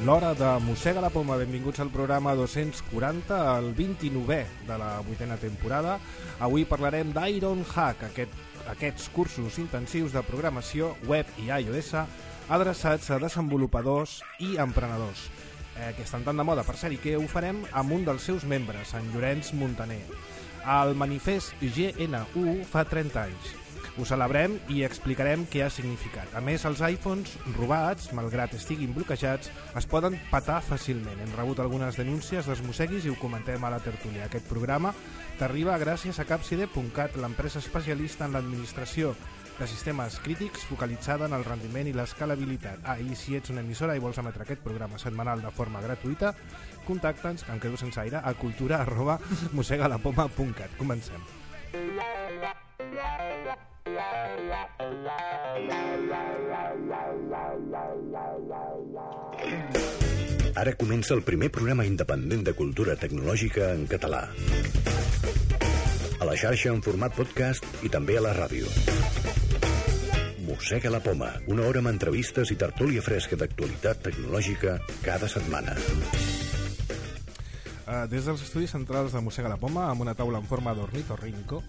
l'hora de Mossega la Poma. Benvinguts al programa 240, el 29è de la 8a temporada. Avui parlarem d'Ironhack, aquests cursos intensius de programació web i iOS adreçats a desenvolupadors i emprenedors, que estan tan de moda, per cert, i que ho farem amb un dels seus membres, en Llorenç Montaner. El manifest GNU fa 30 anys. Ho celebrem i explicarem què ha significat. A més, els iPhones robats, malgrat estiguin bloquejats, es poden petar fàcilment. Hem rebut algunes denúncies dels mosseguis i ho comentem a la tertúlia. Aquest programa t'arriba gràcies a Capside.cat, l'empresa especialista en l'administració de sistemes crítics focalitzada en el rendiment i l'escalabilitat. I si ets una emissora i vols emetre aquest programa setmanal de forma gratuïta, contacta'ns, que em quedo sense aire, a cultura@mossegalapoma.cat. Comencem. Ara comença el primer programa independent de cultura tecnològica en català. A la xarxa en format podcast i també a la ràdio. Mossega la Poma, una hora amb entrevistes i tertúlia fresca d'actualitat tecnològica cada setmana. Des dels estudis centrals de Mossega la Poma, amb una taula en forma d'ornitorrinco.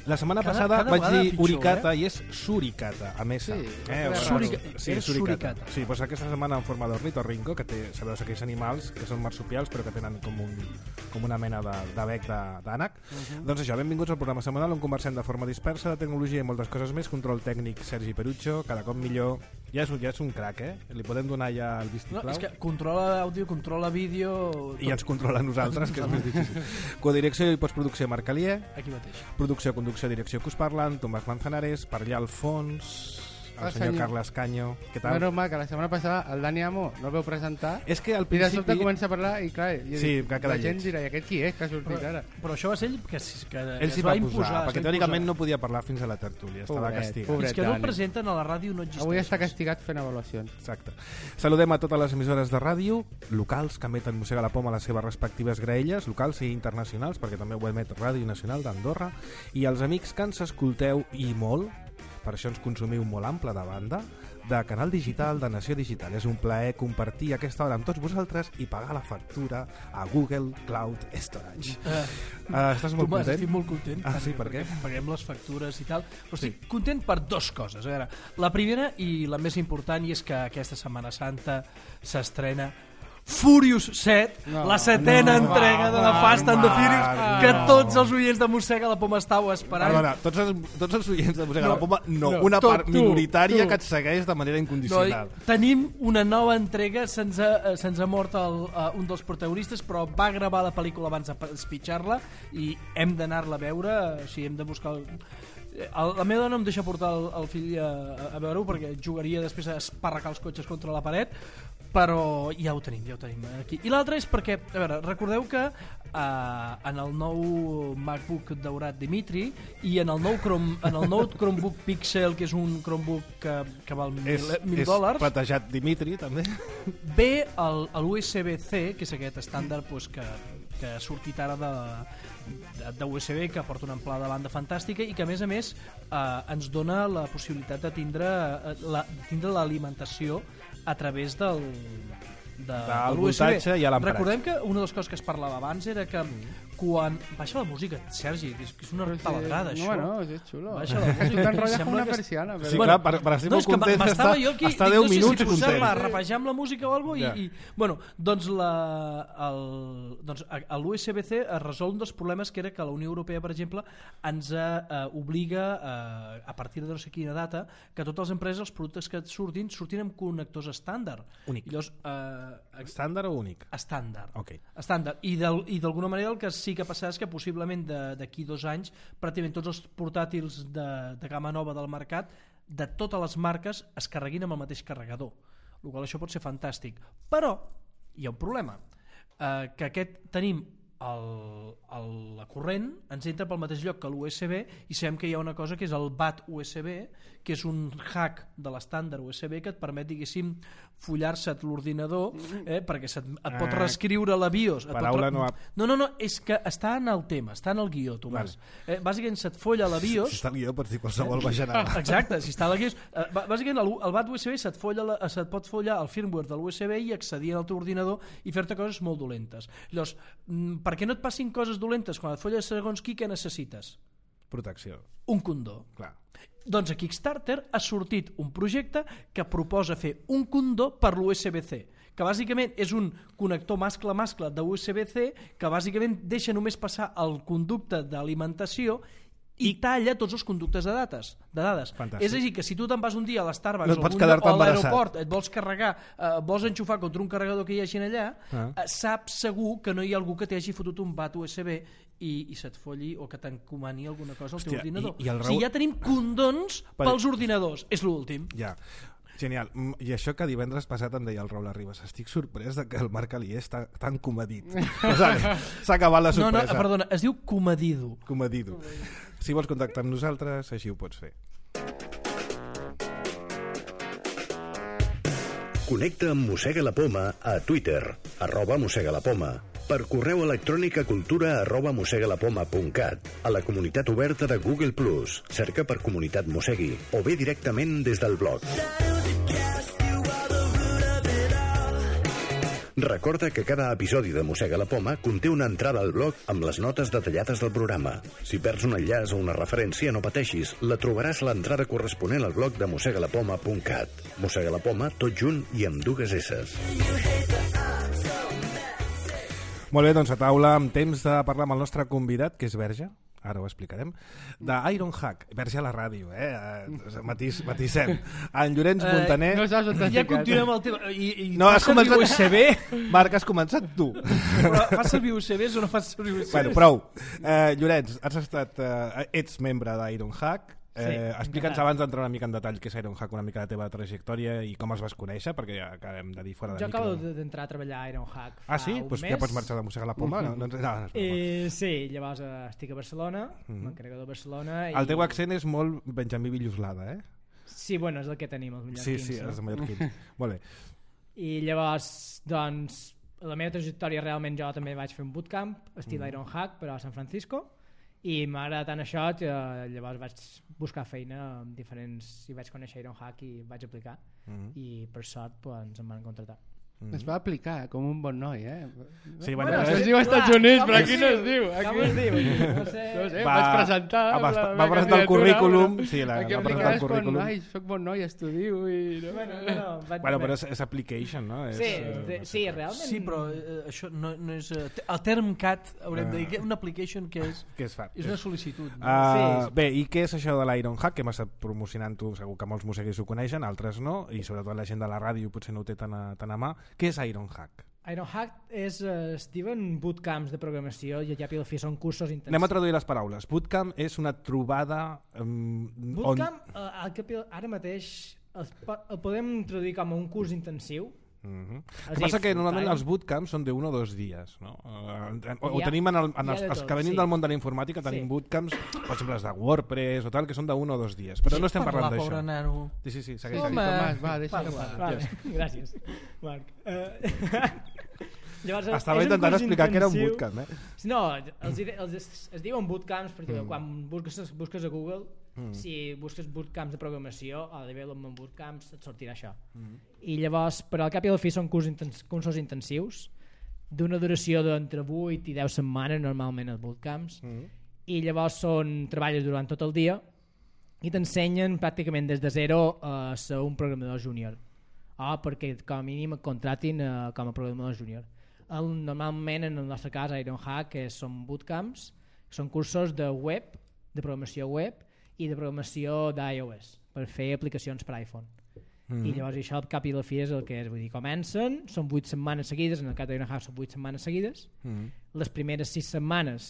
La setmana passada vaig dir uricata i és suricata, a més. Suricata. Sí, doncs aquesta setmana en forma d'ornitorrinco, que té, sabeu, aquells animals que són marsupials però que tenen com una mena de bec d'ànec. Doncs això, benvinguts al programa setmanal on conversem de forma dispersa de tecnologia i moltes coses més. Control tècnic Sergi Perucho, cada cop millor. Ja és un crac, Li podem donar ja el vistiplau? No, és que controla àudio, controla vídeo... I ens controla a nosaltres, que és més difícil. Codirecció i postproducció Marc Alier. Aquí mateix. Producció, conducció, direcció que us parlen, Tomàs Manzanares, per allà al fons, el senyor Carles Canyo. Què tal? Bueno, que la setmana passada el Dani Amo no el veu presentar. És que al principi... I de sobte principi... comença a parlar i clar, la gent dirà, i aquest qui és que ha sortit ara? Però això va ser ell que ell s'hi va posar, perquè teòricament no podia parlar fins a la tertúlia, estava castigat. Fins que no el presenten a la ràdio no existeix. Avui està castigat fent avaluacions. Exacte. Saludem a totes les emissores de ràdio locals que emeten Mossega la Poma a les seves respectives graelles, locals i internacionals, perquè també ho emet Ràdio Nacional d'Andorra, i els amics que ens escolteu i molt, per això ens consumiu molt ample de banda, de Canal Digital, de Nació Digital. És un plaer compartir aquesta hora amb tots vosaltres i pagar la factura a Google Cloud Storage. Estàs molt content? Estic molt content. Sí, per què? Paguem les factures i tal. Però estic content per dues coses. A veure, la primera i la més important és que aquesta Setmana Santa s'estrena Furious 7, la setena entrega de The Fast and the Furious, que tots els oients de Mossega la Poma estàu esperant. Perdona, tots els oients de Mossega la Poma, una part minoritària que et segueix de manera incondicional. Tenim una nova entrega, se'ns ha mort un dels protagonistes, però va gravar la pel·lícula abans d'espitxar-la i hem d'anar-la a veure, així hem de buscar... La meva dona em deixa portar el fill a veure-ho perquè jugaria després a esparracar els cotxes contra la paret, però ja ho tenim aquí. I l'altre és perquè, a veure, recordeu que en el nou MacBook daurat Dimitri i en el nou Chromebook Pixel, que és un Chromebook que val $1.000, és platejat Dimitri també, ve l'USB-C, que és aquest estàndard que ha sortit ara de USB, que porta una amplada de banda fantàstica i que a més ens dona la possibilitat de tindre l'alimentació a través del voltatge i a l'empratge. Recordem que una de les coses que es parlava abans era que quan... Baixa la música, Sergi, que és una taladrada, això. Bueno, és xulo. Baixa la música. T'enrotlles com una persiana. Sí, clar, per estar molt content està 10 minuts content. No sé si repejar amb la música o alguna cosa i... Bueno, doncs l'USB-C es resol un dels problemes que era que la Unió Europea, per exemple, ens obliga a partir de no sé quina data que totes les empreses, els productes que surtin amb connectors estàndard. Únic. Llavors, estàndard o únic? Estàndard. Okay. Estàndard. I d'alguna manera el que sí que passarà és que possiblement d'aquí 2 anys pràcticament tots els portàtils de gamma nova del mercat de totes les marques es carreguin amb el mateix carregador, el qual això pot ser fantàstic, però hi ha un problema, que tenim la corrent ens entra pel mateix lloc que l'USB i sabem que hi ha una cosa que és el BAT USB, que és un hack de l'estàndard USB que et permet, diguéssim, follar-se l'ordinador perquè et pot reescriure la BIOS. Paraula no... No, és que està en el tema, està en el guió, Tomàs. Bàsicament se't folla la BIOS... Si està el guió pots dir qualsevol bajanada. Exacte, si està la BIOS... Bàsicament el BAT USB se't pot follar el firmware de l'USB i accedir al teu ordinador i fer-te coses molt dolentes. Llavors, perquè no et passin coses dolentes quan et folles segons què necessites? Protecció. Un condó. Clar. Doncs a Kickstarter ha sortit un projecte que proposa fer un condó per l'USB-C, que bàsicament és un connector mascle-mascle de USB-C que bàsicament deixa només passar el conducte d'alimentació i talla tots els conductes de dades. Fantàstic. És a dir, que si tu te'n vas un dia a l'Starbucks no o a l'aeroport, et vols carregar, vols enxufar contra un carregador que hi hagi allà, saps segur que no hi ha algú que t'hagi fotut un bat USB i se't folli o que t'encomani alguna cosa al teu ordinador. O sigui, ja tenim condons pels ordinadors. És l'últim. Ja. Genial. I això que divendres passat em deia el Raül Arribas, estic sorprès de que el Marc Alier està tan comedit. S'ha acabat la sorpresa. No, perdona, es diu comedido. Comedido. Si vols contactar amb nosaltres, així ho pots fer. Connecta amb Mossega la Poma a Twitter, @mossegalapoma, per correu electrònic a cultura@mossegalapoma.cat, a la comunitat oberta de Google+, cerca per Comunitat Mossegui, o bé directament des del blog. Recorda que cada episodi de Mossega la Poma conté una entrada al blog amb les notes detallades del programa. Si perds un enllaç o una referència, no pateixis, la trobaràs a l'entrada corresponent al blog de mossegalapoma.cat. Mossega la Poma, tot junt i amb dues esses. Molt bé, doncs a taula amb temps de parlar amb el nostre convidat, que és Verge, ara ho explicarem, d'Ironhack, Verge a la ràdio, matissem. En Llorenç Montaner... No saps on t'has ja ficat. continuem el tema. No, has començat... USB? Marc, has començat tu. Però fas servir USBs o no fas servir USBs? Bueno, prou. Llorenç, ets membre d'Ironhack. Explica'ns abans d'entrar una mica en detall què és Ironhack, una mica la teva trajectòria i com es vas conèixer, perquè ja acabem de dir fora de jo micro. acabo d'entrar a treballar a Ironhack fa sí? un Pues mes. ja pots marxar de Mossega la Poma? Sí, llavors estic a Barcelona, m'encarrego de Barcelona. El teu accent és molt Benjamí Villoslada, eh? Sí, bueno, és el que tenim, els mallorquins. Sí, els mallorquins. Molt bé. I llavors, doncs, la meva trajectòria realment jo també vaig fer un bootcamp, estil Ironhack, però a San Francisco, i m'agrada tant això que llavors vaig buscar feina amb diferents, i vaig conèixer Ironhack i vaig aplicar, i per sort doncs, em van contractar. Es va aplicar com un bon noi, Sí, bueno, es diu als Estats Units, però aquí no es diu. Com es diu? No sé. Vaig presentar va presentar el currículum. Sí, aquí va presentar el currículum. Soc bon noi, estudio i... Bueno, però és application, no? Sí, realment. Sí, però això no és... El term CAT, haurem de dir, una application que és... Què es fa? És una sol·licitud. Bé, i què és això de l'Ironhack, que hem estat promocionant tu, segur que molts mosseguers ho coneixen, altres no, i sobretot la gent de la ràdio potser no ho té tan a mà. Què és Ironhack? Ironhack es diuen bootcamps de programació i ja pel fi són cursos intensius. Anem a traduir les paraules. Bootcamp és una trobada... Bootcamp, ara mateix el podem traduir com a un curs intensiu. El que passa que normalment els bootcamps són d'1 o 2 dies, no? O tenim els que venim del món de la informàtica, tenim bootcamps, per exemple els de WordPress o tal, que són d'1 o 2 dies, però no estem parlant d'això. Pobre nano. Sí, segueix. Tomàs, va, deixa que parli. Gràcies, Marc. Llavors, estava intentant explicar que era un bootcamp, No, es diuen bootcamps perquè quan busques a Google, si busques bootcamps de programació, a Development Bootcamps et sortirà això. I llavors, per al cap i al fi són cursos intensius d'una duració d'entre 8 i 10 setmanes normalment els bootcamps, i llavors treballes durant tot el dia i t'ensenyen pràcticament des de zero a ser un programador júnior, perquè com a mínim et contratin com a programador júnior. Normalment en el nostre cas a Ironhack són bootcamps, són cursos de web, de programació web i de programació d'iOS per fer aplicacions per iPhone. I llavors això al cap i la fi és el que és, vull dir, comencen, són 8 setmanes seguides, en el cas d'Ironhack són 8 setmanes seguides, les primeres 6 setmanes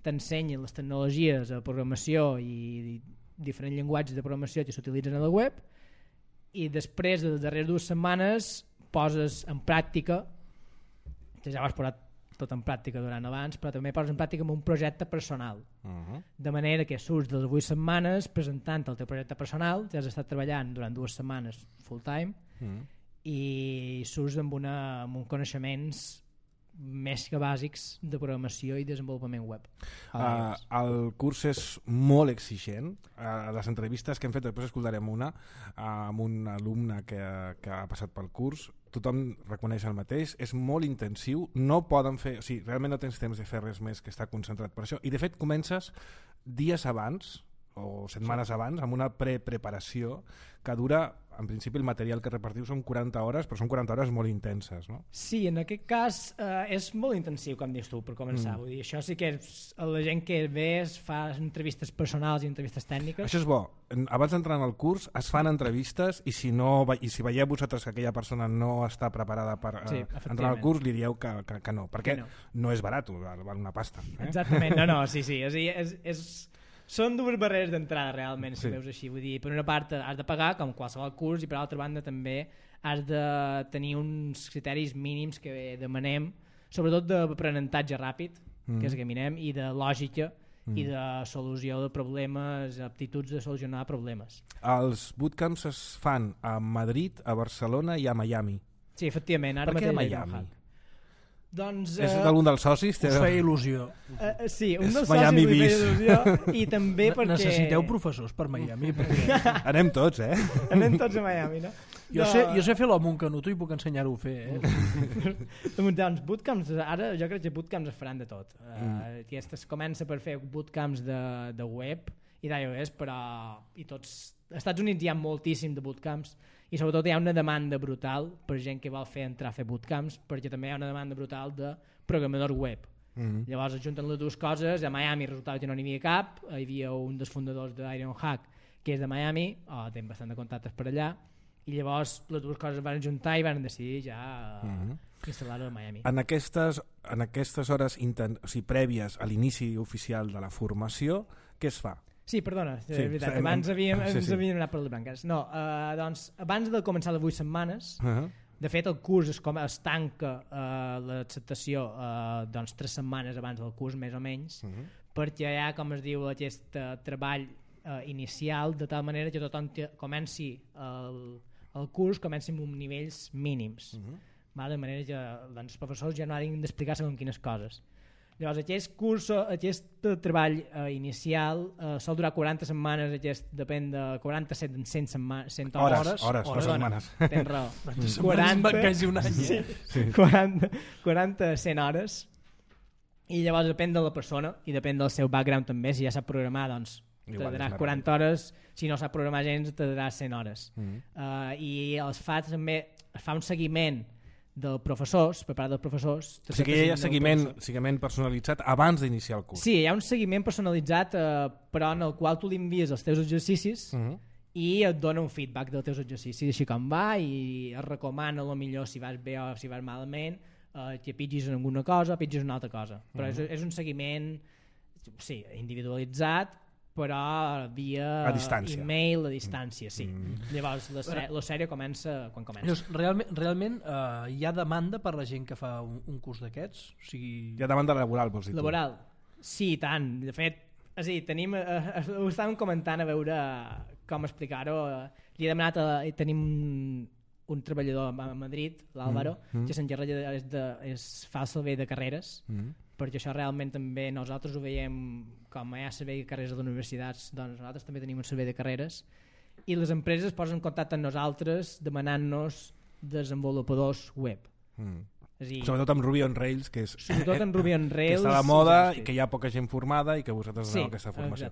t'ensenyen les tecnologies de programació i diferents llenguatges de programació que s'utilitzen a la web, i després de les darreres 2 setmanes poses en pràctica, ja vas posar tot en pràctica durant abans, però també poses en pràctica amb un projecte personal. De manera que surts de les 8 setmanes presentant el teu projecte personal, ja has estat treballant durant 2 setmanes full time i surts amb uns coneixements més que bàsics de programació i desenvolupament web. El curs és molt exigent. Les entrevistes que hem fet, després escoltarem una amb un alumne que ha passat pel curs, tothom reconeix el mateix, és molt intensiu, no poden fer, o sigui, realment no tens temps de fer res més que estar concentrat per això, i de fet comences dies abans o setmanes abans amb una preparació que dura, en principi el material que repartiu són 40 hores, però són 40 hores molt intenses, no? Sí, en aquest cas és molt intensiu, com dius tu, per començar. Vull dir, això sí que és, la gent que ve fa entrevistes personals i entrevistes tècniques. Això és bo. Abans d'entrar en el curs es fan entrevistes i si veieu vosaltres que aquella persona no està preparada per entrar al curs, li dieu que no, perquè no és barat, val una pasta. Exactament, no, sí. Són dues barreres d'entrada realment, si veus així. Vull dir, per una part has de pagar, com qualsevol curs, i per l'altra banda també has de tenir uns criteris mínims que demanem, sobretot d'aprenentatge ràpid, que és el que mirem, i de lògica i de solució de problemes, aptituds de solucionar problemes. Els bootcamps es fan a Madrid, a Barcelona i a Miami. Sí, efectivament. Ara per què a Miami? Doncs, és d'algun dels socis? Us feia il·lusió. Sí, un dels socis li feia il·lusió i també perquè... Necessiteu professors per Miami. Perquè... Anem tots, Anem tots a Miami, no? Jo sé fer l'home un canuto i puc ensenyar-ho a fer. Doncs bootcamps, ara jo crec que bootcamps es faran de tot. Es comença per fer bootcamps de web i d'iOS, però als Estats Units hi ha moltíssim de bootcamps i sobretot hi ha una demanda brutal per gent que vol entrar a fer bootcamps, perquè també hi ha una demanda brutal de programador web. Llavors es junten les dues coses. A Miami resultava que no n'hi havia cap, hi havia un dels fundadors d'Ironhack que és de Miami, té bastant de contactes per allà, i llavors les dues coses es van juntar i van decidir ja instal·lar-ho a Miami. En aquestes hores prèvies a l'inici oficial de la formació, què es fa? Sí, perdona, és veritat, abans havíem anat per les branques. No, doncs, abans de començar les 8 setmanes, de fet el curs es tanca l'acceptació 3 setmanes abans del curs, més o menys, perquè hi ha, com es diu, aquest treball inicial, de tal manera que tothom comenci el curs amb nivells mínims, de manera que els professors ja no hagin d'explicar segons quines coses. Llavors, aquest treball inicial sol durar 40 setmanes, depèn de 100 hores. Hores, setmanes. Tens raó. 40 100 hores. I llavors depèn de la persona i depèn del seu background també. Si ja sap programar, doncs t'adaràs 40 hores. Si no sap programar gens, t'adaràs 100 hores. I es fa un seguiment dels professors, per part dels professors. O sigui que hi ha seguiment personalitzat abans d'iniciar el curs. Sí, hi ha un seguiment personalitzat, però en el qual tu li envies els teus exercicis i et dona un feedback dels teus exercicis, així com va, i et recomana millor si vas bé o si vas malament, que pitgis en alguna cosa o pitgis en una altra cosa. Però és un seguiment individualitzat, però via e-mail a distància, sí. Llavors la sèrie comença quan comença. Realment hi ha demanda per la gent que fa un curs d'aquests? O sigui... Hi ha demanda laboral, vols dir tu? Laboral? Sí, tant. De fet, ho estàvem comentant a veure com explicar-ho. Li he demanat, tenim un treballador a Madrid, l'Àlvaro, que s'encarrega fa el servei de carreres, perquè això realment també nosaltres ho veiem com hi ha servei de carreres a les universitats, doncs nosaltres també tenim un servei de carreres i les empreses posen en contacte amb nosaltres demanant-nos desenvolupadors web. Sobretot amb Ruby on Rails, que està a la moda i que hi ha poca gent formada i que vosaltres doneu aquesta formació.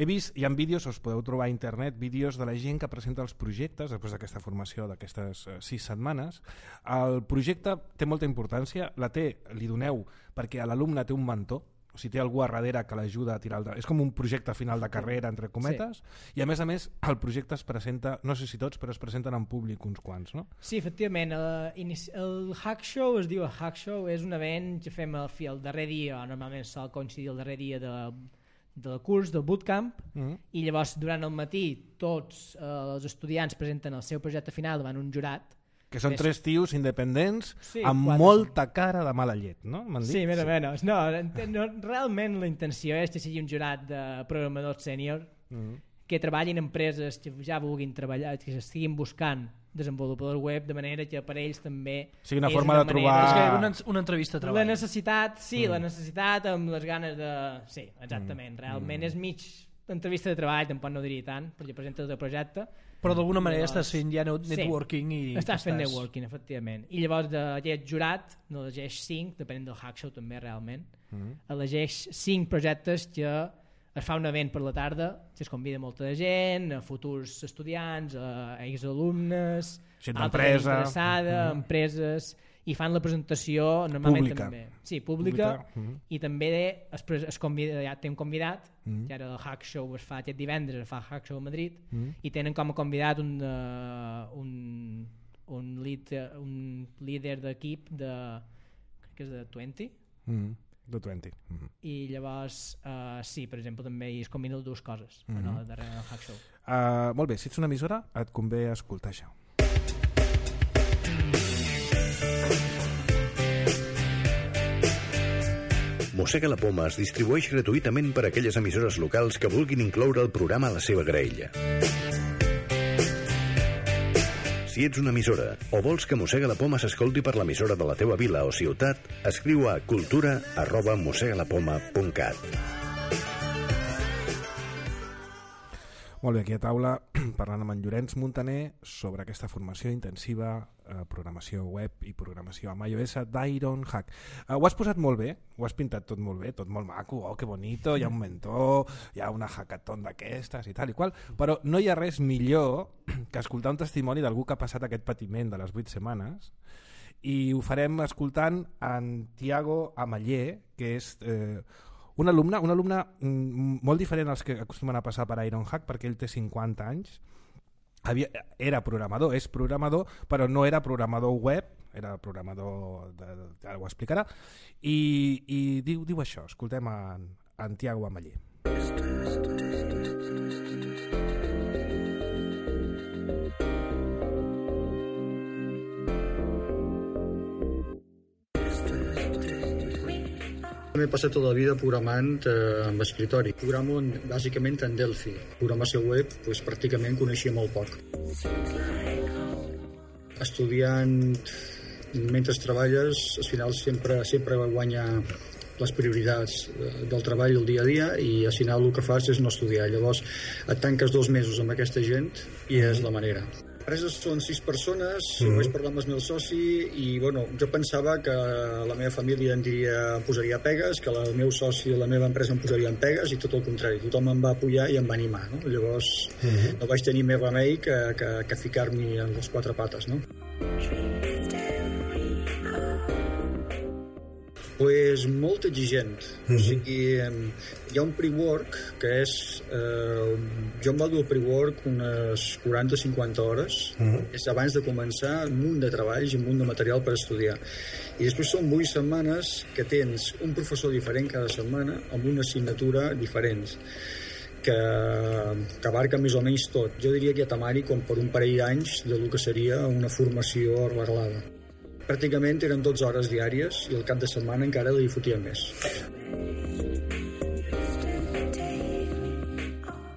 He vist, hi ha vídeos, us podeu trobar a internet, vídeos de la gent que presenta els projectes després d'aquesta formació d'aquestes 6 setmanes. El projecte té molta importància, li doneu perquè l'alumne té un mentor, o sigui, té algú a darrere que l'ajuda a tirar és com un projecte final de carrera, entre cometes, i a més el projecte es presenta, no sé si tots, però es presenten en públic uns quants, no? Sí, efectivament, el Hack Show es diu Hack Show, és un event que fem el darrer dia, normalment sol coincidir el darrer dia del curs, del bootcamp, i llavors durant el matí tots els estudiants presenten el seu projecte final davant un jurat Que són 3 tios independents amb 4, molta cara de mala llet, no? Sí, més o menys. No, realment la intenció és que sigui un jurat de programadors sènior que treballin en empreses que ja vulguin treballar, que estiguin buscant desenvolupadors web, de manera que per ells també sigui una forma de trobar... Una entrevista de treball. La necessitat, la necessitat amb les ganes de... Sí, exactament. Realment és mig entrevista de treball, tampoc no diria tant, perquè presenta el projecte. Però d'alguna manera estàs fent ja networking i... Estàs fent networking, efectivament. I llavors d'aquest jurat n'elegeix 5, depenent del hack show també realment, elegeix 5 projectes que es fa un event per la tarda, que es convida molta gent, a futurs estudiants, a exalumnes, altra gent interessada, empreses, i fan la presentació normalment pública. També. Sí, pública. I també es convida, ja té un convidat, que ara el Hack Show es fa aquest divendres, es fa el Hack Show a Madrid, i tenen com a convidat un líder d'equip de, crec que és de 20. De 20. I llavors, sí, per exemple, també es combinen dues coses darrere del Hack Show. Molt bé, si ets una emissora, et convé escoltar això. Mossega la Poma es distribueix gratuïtament per a aquelles emissores locals que vulguin incloure el programa a la seva graella. Si ets una emissora o vols que Mossega la Poma s'escolti per l'emissora de la teua vila o ciutat, escriu a cultura@mossegalapoma.cat. Molt bé, aquí a taula parlant amb en Llorenç Montaner sobre aquesta formació intensiva, programació web i programació amb iOS d'Iron Hack. Ho has posat molt bé, ho has pintat tot molt bé, tot molt maco, que bonito, hi ha un mentor, hi ha una hackathon d'aquestes i tal i qual, però no hi ha res millor que escoltar un testimoni d'algú que ha passat aquest patiment de les 8 setmanes, i ho farem escoltant en Tiago Amallé, que és... un alumne molt diferent als que acostumen a passar per Iron Hack, perquè ell té 50 anys, era programador, és programador, però no era programador web, era programador, ara ho explicarà, i diu això, escoltem en Tiago Amallé. M'he passat tota la vida programant amb escritori. Programo bàsicament en Delphi. Programació web, doncs, pràcticament coneixia molt poc. Estudiant, mentre treballes, al final sempre guanya les prioritats del treball el dia a dia, i al final el que fas és no estudiar. Llavors et tanques 2 mesos amb aquesta gent i és la manera. L'empresa són 6 persones, vaig parlar amb el meu soci i bueno, jo pensava que la meva família em posaria pegues, que el meu soci i la meva empresa em posarien pegues, i tot el contrari, tothom em va apoyar i em va animar, no? Llavors no vaig tenir més remei que ficar-m'hi en les 4 pates, no? Pues molt exigent. O sigui, hi ha un pre-work que és... jo em va dur el pre-work unes 40-50 hores. És abans de començar un munt de treballs i un munt de material per estudiar. I després són 8 setmanes que tens un professor diferent cada setmana amb una assignatura diferent que abarca més o menys tot. Jo diria que hi ha temari com per un parell d'anys del que seria una formació arreglada. Pràcticament eren 12 hores diàries i el cap de setmana encara li fotíem més.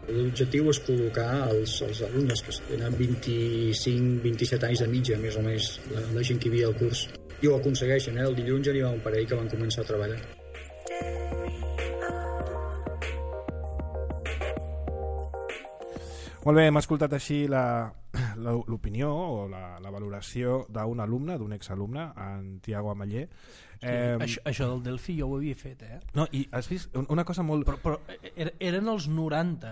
L'objectiu és col·locar els alumnes que tenen 25-27 anys de mitja, més o més, la gent que hi havia al curs. I ho aconsegueixen, el dilluns ja n'hi va un parell que van començar a treballar. Molt bé, hem escoltat així l'opinió o la valoració d'un alumne, d'un exalumne, en Tiago Amallé. Això del Delphi jo ho havia fet, No, i has vist una cosa molt... Però eren els 90.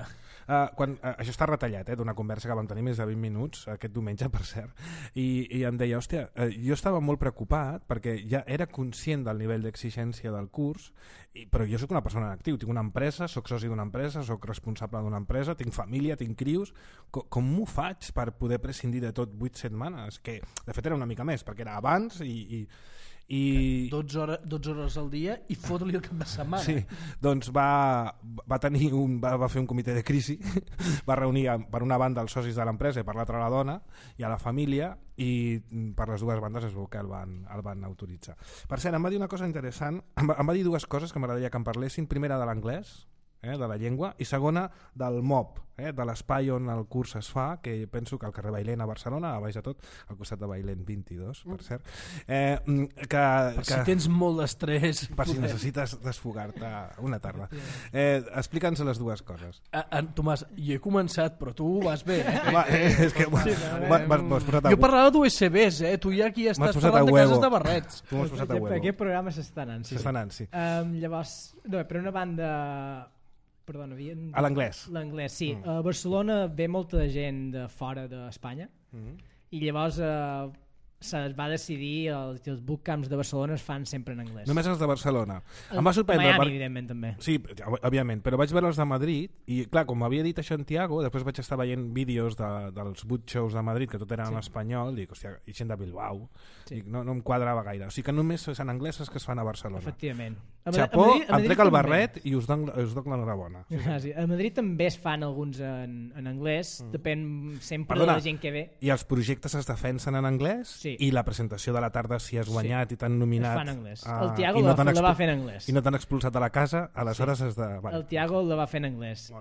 Això està retallat, d'una conversa que vam tenir més de 20 minuts, aquest diumenge, per cert, i em deia, hòstia, jo estava molt preocupat perquè ja era conscient del nivell d'exigència del curs, però jo sóc una persona en actiu, tinc una empresa, sóc soci d'una empresa, sóc responsable d'una empresa, tinc família, tinc crios, com m'ho faig per poder prescindir de tot 8 setmanes? Que de fet era una mica més, perquè era abans i I 12 hores al dia i fot-li el cap de setmana. sí, doncs va fer un comitè de crisi, va reunir per una banda els socis de l'empresa i per l'altra la dona i a la família, i per les dues bandes es veu que el van autoritzar. Per cert, em va dir una cosa interessant, em va dir dues coses que m'agradaria que em parlessin. Primera, de l'anglès, de la llengua, i segona, del MOB, de l'espai on el curs es fa, que penso que al carrer Bailén a Barcelona, a baix de tot, al costat de Bailén 22, per cert. Si tens molt d'estrès... Per si necessites desfogar-te una tarda. Explica'ns les dues coses. Tomàs, jo he començat, però tu vas bé. És que m'has posat a Jo parlava d'USBs, tu ja aquí estàs parlant de cases de barrets. Tu m'has posat a huevo. Aquest programa s'està anant, sí. S'està anant, sí. Llavors, no, per una banda... Perdona, a l'anglès. L'anglès, sí. A Barcelona ve molta gent de fora d'Espanya i llavors es va decidir que els bootcamps de Barcelona es fan sempre en anglès. Només els de Barcelona. Em va sorprendre... Miami, evidentment, també. Sí, òbviament, però vaig veure els de Madrid i, clar, com m'havia dit a Santiago, després vaig estar veient vídeos dels boot shows de Madrid, que tot era en espanyol, i dic, hòstia, i gent de Bilbao. Dic, no em quadrava gaire. O sigui que només és en anglès que es fan a Barcelona. Efectivament. Xapó, em trec el barret i us dono l'enhorabona. A Madrid també es fan alguns en anglès, depèn sempre de la gent que ve. I els projectes es defensen en anglès? Sí. I la presentació de la tarda, si has guanyat i t'han nominat... Es fa en anglès. El Tiago la va fer en anglès. I no t'han expulsat de la casa, aleshores has de... El Tiago la va fer en anglès.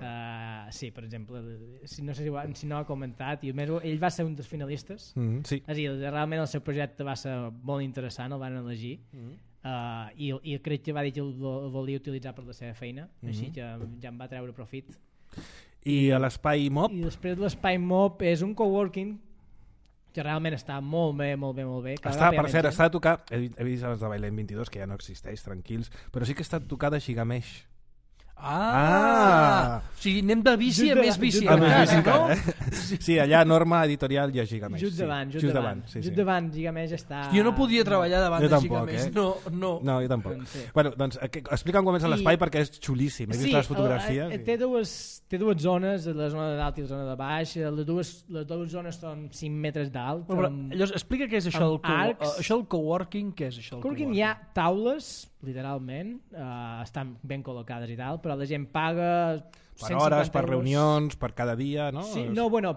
Sí, per exemple, si no ha comentat, ell va ser un dels finalistes. Sí. És a dir, realment el seu projecte va ser molt interessant, el van elegir. I crec que va dir que el volia utilitzar per la seva feina, així que ja en va treure profit. I a l'espai MOB? I després l'espai MOB és un coworking que realment està molt bé. Per cert, està a tocar, he vist els de Bailén 22, que ja no existeix, tranquils, però sí que està a tocar de Gigamesh. O sigui, anem de bici a més bici. Sí, allà Norma Editorial i a Gigamesh. Just davant Gigamesh està... Jo no podia treballar davant de Gigamesh. No, jo tampoc. Bueno, doncs explica'm com és l'espai perquè és xulíssim. He vist les fotografies. Té dues zones, la zona de dalt i la zona de baix. Les dues zones són 5 metres d'alt. Llavors, explica què és això del coworking. Què és això del coworking? Hi ha taules, literalment, estan ben col·locades i tal, però la gent paga per hores, per reunions, per cada dia, no? Sí,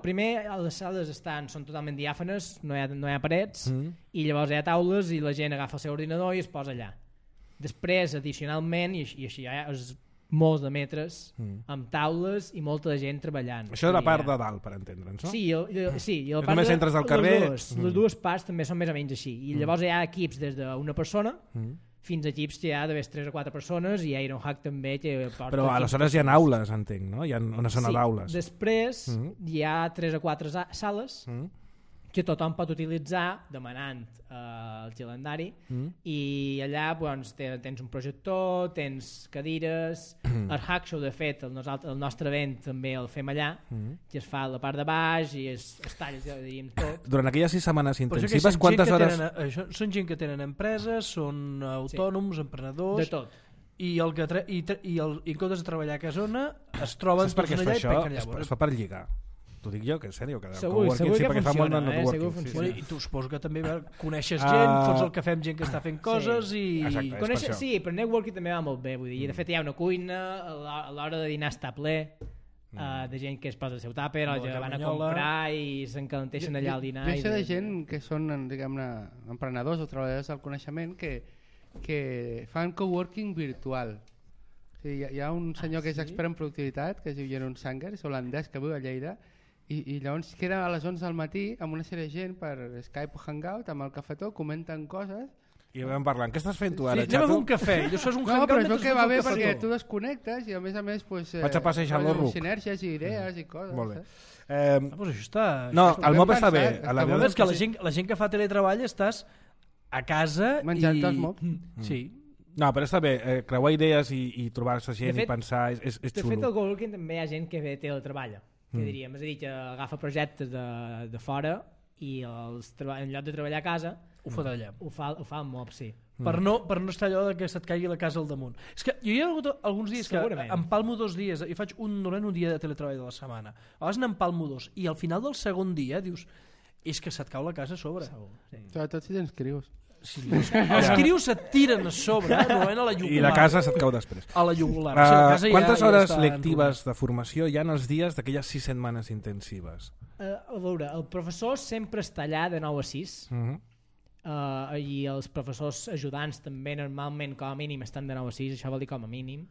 primer les sales són totalment diàfanes, no hi ha parets, i llavors hi ha taules i la gent agafa el seu ordinador i es posa allà. Després, addicionalment, i així hi ha molts de metres, amb taules i molta gent treballant. Això és la part de dalt, per entendre'ns, no? Sí, i la part només entres del carrer... Les dues parts també són més o menys així. I llavors hi ha equips des d'una persona fins a equips que hi ha d'haver 3 o 4 persones, i Ironhack també que porta... Però aleshores hi ha aules, entenc, no? Hi ha una zona d'aules. Sí, després hi ha 3 o 4 sales que tothom pot utilitzar demanant el calendari, i allà tens un projector, tens cadires. El Hack Show, de fet, el nostre event també el fem allà, que es fa a la part de baix i es talla, diríem, tot. Durant aquelles 6 setmanes intensives, quantes hores... Són gent que tenen empreses, són autònoms, emprenedors... De tot. I en comptes de treballar a casona es troben tots allà i penquen llavors. Es fa per lligar. T'ho dic jo, que és sèrio. Segur que funciona. I tu suposo que també coneixes gent, fots el cafè amb gent que està fent coses i... Exacte, sí, però networking també va molt bé. Vull dir, de fet hi ha una cuina, a l'hora de dinar està ple de gent que es posa el seu tàper o que van a comprar i s'encalenteixen allà al dinar. Jo sé de gent que són, diguem-ne, emprenedors o treballadors del coneixement que fan coworking virtual. Hi ha un senyor que és expert en productivitat, que es diu Jeroen Sanger, és holandès, que viu a Lleida, i llavors queda a les 11 del matí amb una sèrie de gent per Skype o Hangout, amb el cafetó, comenten coses i vam parlant. Què estàs fent tu ara, Xato? Anem a fer un cafè. No, però és que va bé perquè tu desconnectes i a més vaig a passejar el ruc. Sinergies i idees i coses. Molt bé. Doncs això està... No, el MOB està bé. La veritat és que la gent que fa teletreball estàs a casa menjant els MOB. Sí. No, però està bé, creuar idees i trobar-se gent i pensar és xulo. De fet, al coworking també hi ha gent que teletreballa, que diríem, és a dir, que agafa projectes de fora i en lloc de treballar a casa ho fa d'allà. Ho fa al MOB, sí. Per no estar allò que se't caigui la casa al damunt. És que jo hi ha hagut alguns dies que empalmo 2 dies i faig un dia de teletreball de la setmana. A vegades n'empalmo 2 i al final del segon dia dius és que se't cau la casa a sobre. Sobretot si tens crios. Sí, els crios se't tiren a sobre, no a la jugular. I la casa se't cau després. A la jugular. O sigui, la casa quantes hores està lectives de formació hi ha en els dies d'aquelles 6 setmanes intensives? A veure, el professor sempre està allà de 9 a 6 i els professors ajudants també normalment com a mínim estan de 9 a 6, això vol dir com a mínim.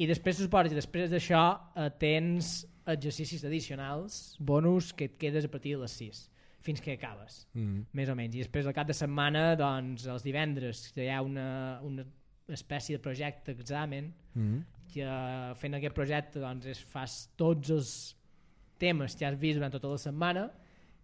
I després suposo que després d'això tens exercicis addicionals, bonus, que et quedes a partir de les 6 fins que acabes, més o menys. I després al cap de setmana, doncs, els divendres hi ha una espècie de projecte examen que fent aquest projecte doncs, fas tots els temes que has vist durant tota la setmana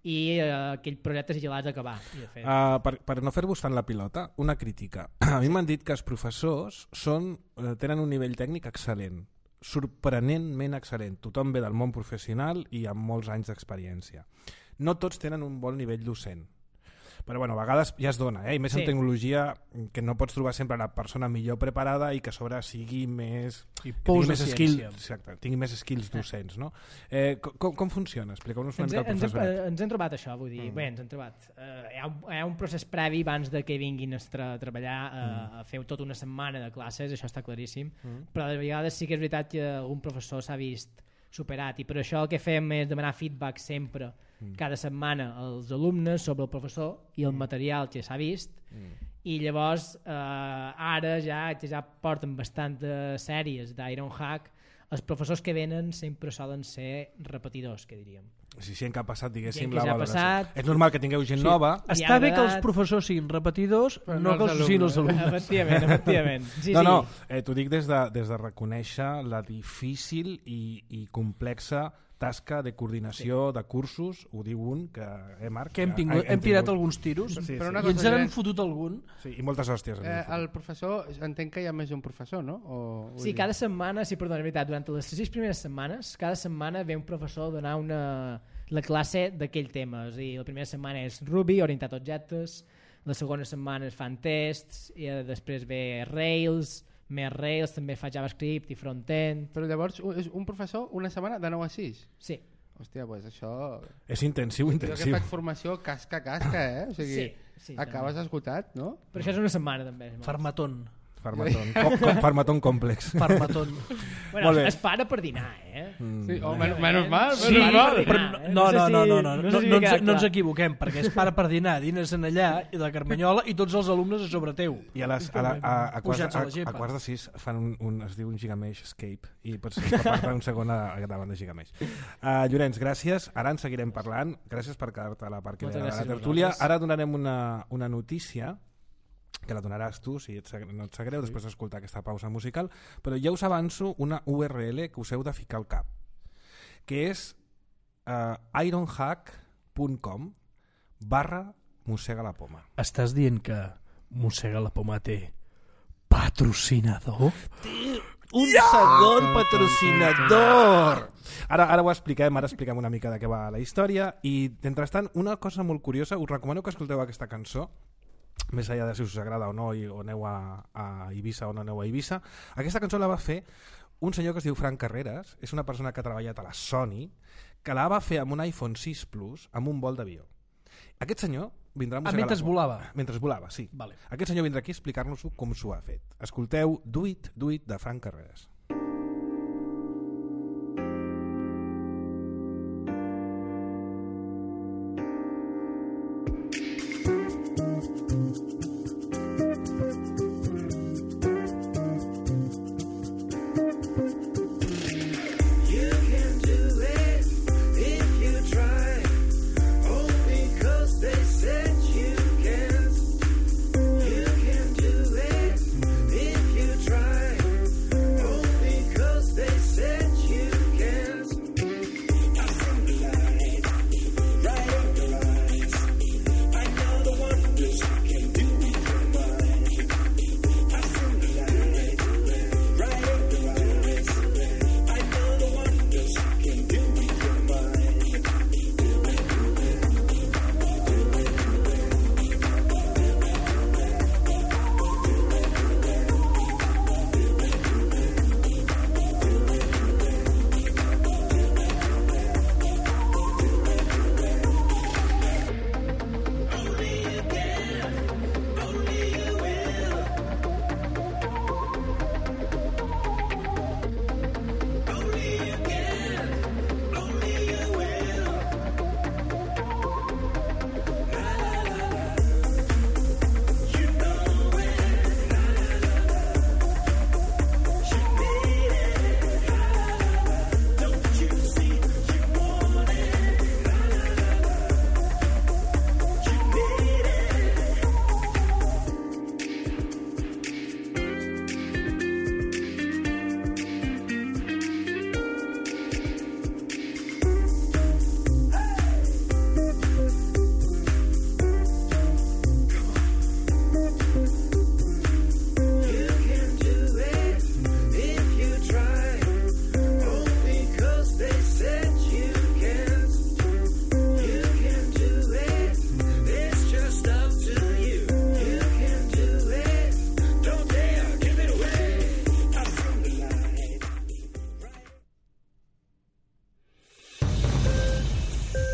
i aquell projecte si l'has d'acabar. Per no fer-vos fan la pilota, una crítica. A mi m'han dit que els professors tenen un nivell tècnic excel·lent, sorprenentment excel·lent. Tothom ve del món professional i amb molts anys d'experiència. No tots tenen un bon nivell docent. Però bueno, a vegades ja es dona, i més en tecnologia, que no pots trobar sempre la persona millor preparada i que a sobre sigui més... tingui més skills docents, no? Com funciona? Expliqueu-nos una mica el procés. Ens hem trobat això, vull dir, bé, ens hem trobat. Hi ha un procés previ abans de que vinguin a treballar a fer tota una setmana de classes, això està claríssim, però de vegades sí que és veritat que algun professor s'ha vist superat i per això el que fem és demanar feedback sempre cada setmana als alumnes sobre el professor i el material que s'ha vist i llavors ara ja porten bastantes sèries d'Ironhack. Els professors que venen sempre solen ser repetidors, que diríem. Sí, en què ha passat, diguéssim, la valoració. És normal que tingueu gent nova. Està bé que els professors siguin repetidors, però no que els siguin els alumnes. Efectivament. T'ho dic des de reconèixer la difícil i complexa tasca de coordinació de cursos, ho diu un, que Marc? Que hem tirat alguns tiros, però i ens n'han fotut algun. Sí, i moltes hòsties. El professor, entenc que hi ha més d'un professor, no? Sí, cada setmana, perdona, veritat, durant les 6 primeres setmanes, cada setmana ve un professor a donar la classe d'aquell tema. És a dir, la primera setmana és Ruby, orientat a objectes, la segona setmana es fan tests, i després ve Rails, més Rails, també fa JavaScript i front-end. Però llavors és un professor una setmana de 9 a 6? Sí. Hòstia, doncs això... És intensiu. Jo que faig formació casca, o sigui, acabes esgotat, no? Però això és una setmana també. Farmatón. Farmatón complex. Farmatón. Bueno, es para per dinar, Sí, menys mal. No ens equivoquem, perquè es para per dinar, dines en allà i la Carmanyola i tots els alumnes a sobre teu. I a quarts de 6 fan es diu un Gigamesh Escape i pots parlar un segon davant de Gigamesh. Llorenç, gràcies. Ara en seguirem parlant. Gràcies per quedar-te a la part que ve de la tertúlia. Ara donarem una notícia que la donaràs tu, si no et sap greu, després d'escoltar aquesta pausa musical, però ja us avanço una URL que us heu de ficar al cap, que és ironhack.com/mossega-la-poma. Estàs dient que Mossega-la-Poma té patrocinador? Un segon patrocinador! Ara ho expliquem, una mica de què va la història i, mentrestant, una cosa molt curiosa, us recomano que escolteu aquesta cançó, més enllà de si us agrada o no, o aneu a Eivissa o no aneu a Eivissa. Aquesta cançó la va fer un senyor que es diu Frank Carreras, és una persona que ha treballat a la Sony, que la va fer amb un iPhone 6 Plus amb un vol d'avió. Aquest senyor vindrà a Mossega-la-Poma. Mentre volava? Mentre volava, sí. Vale. Aquest senyor vindrà aquí a explicar-nos com s'ho ha fet. Escolteu Do It, de Frank Carreras.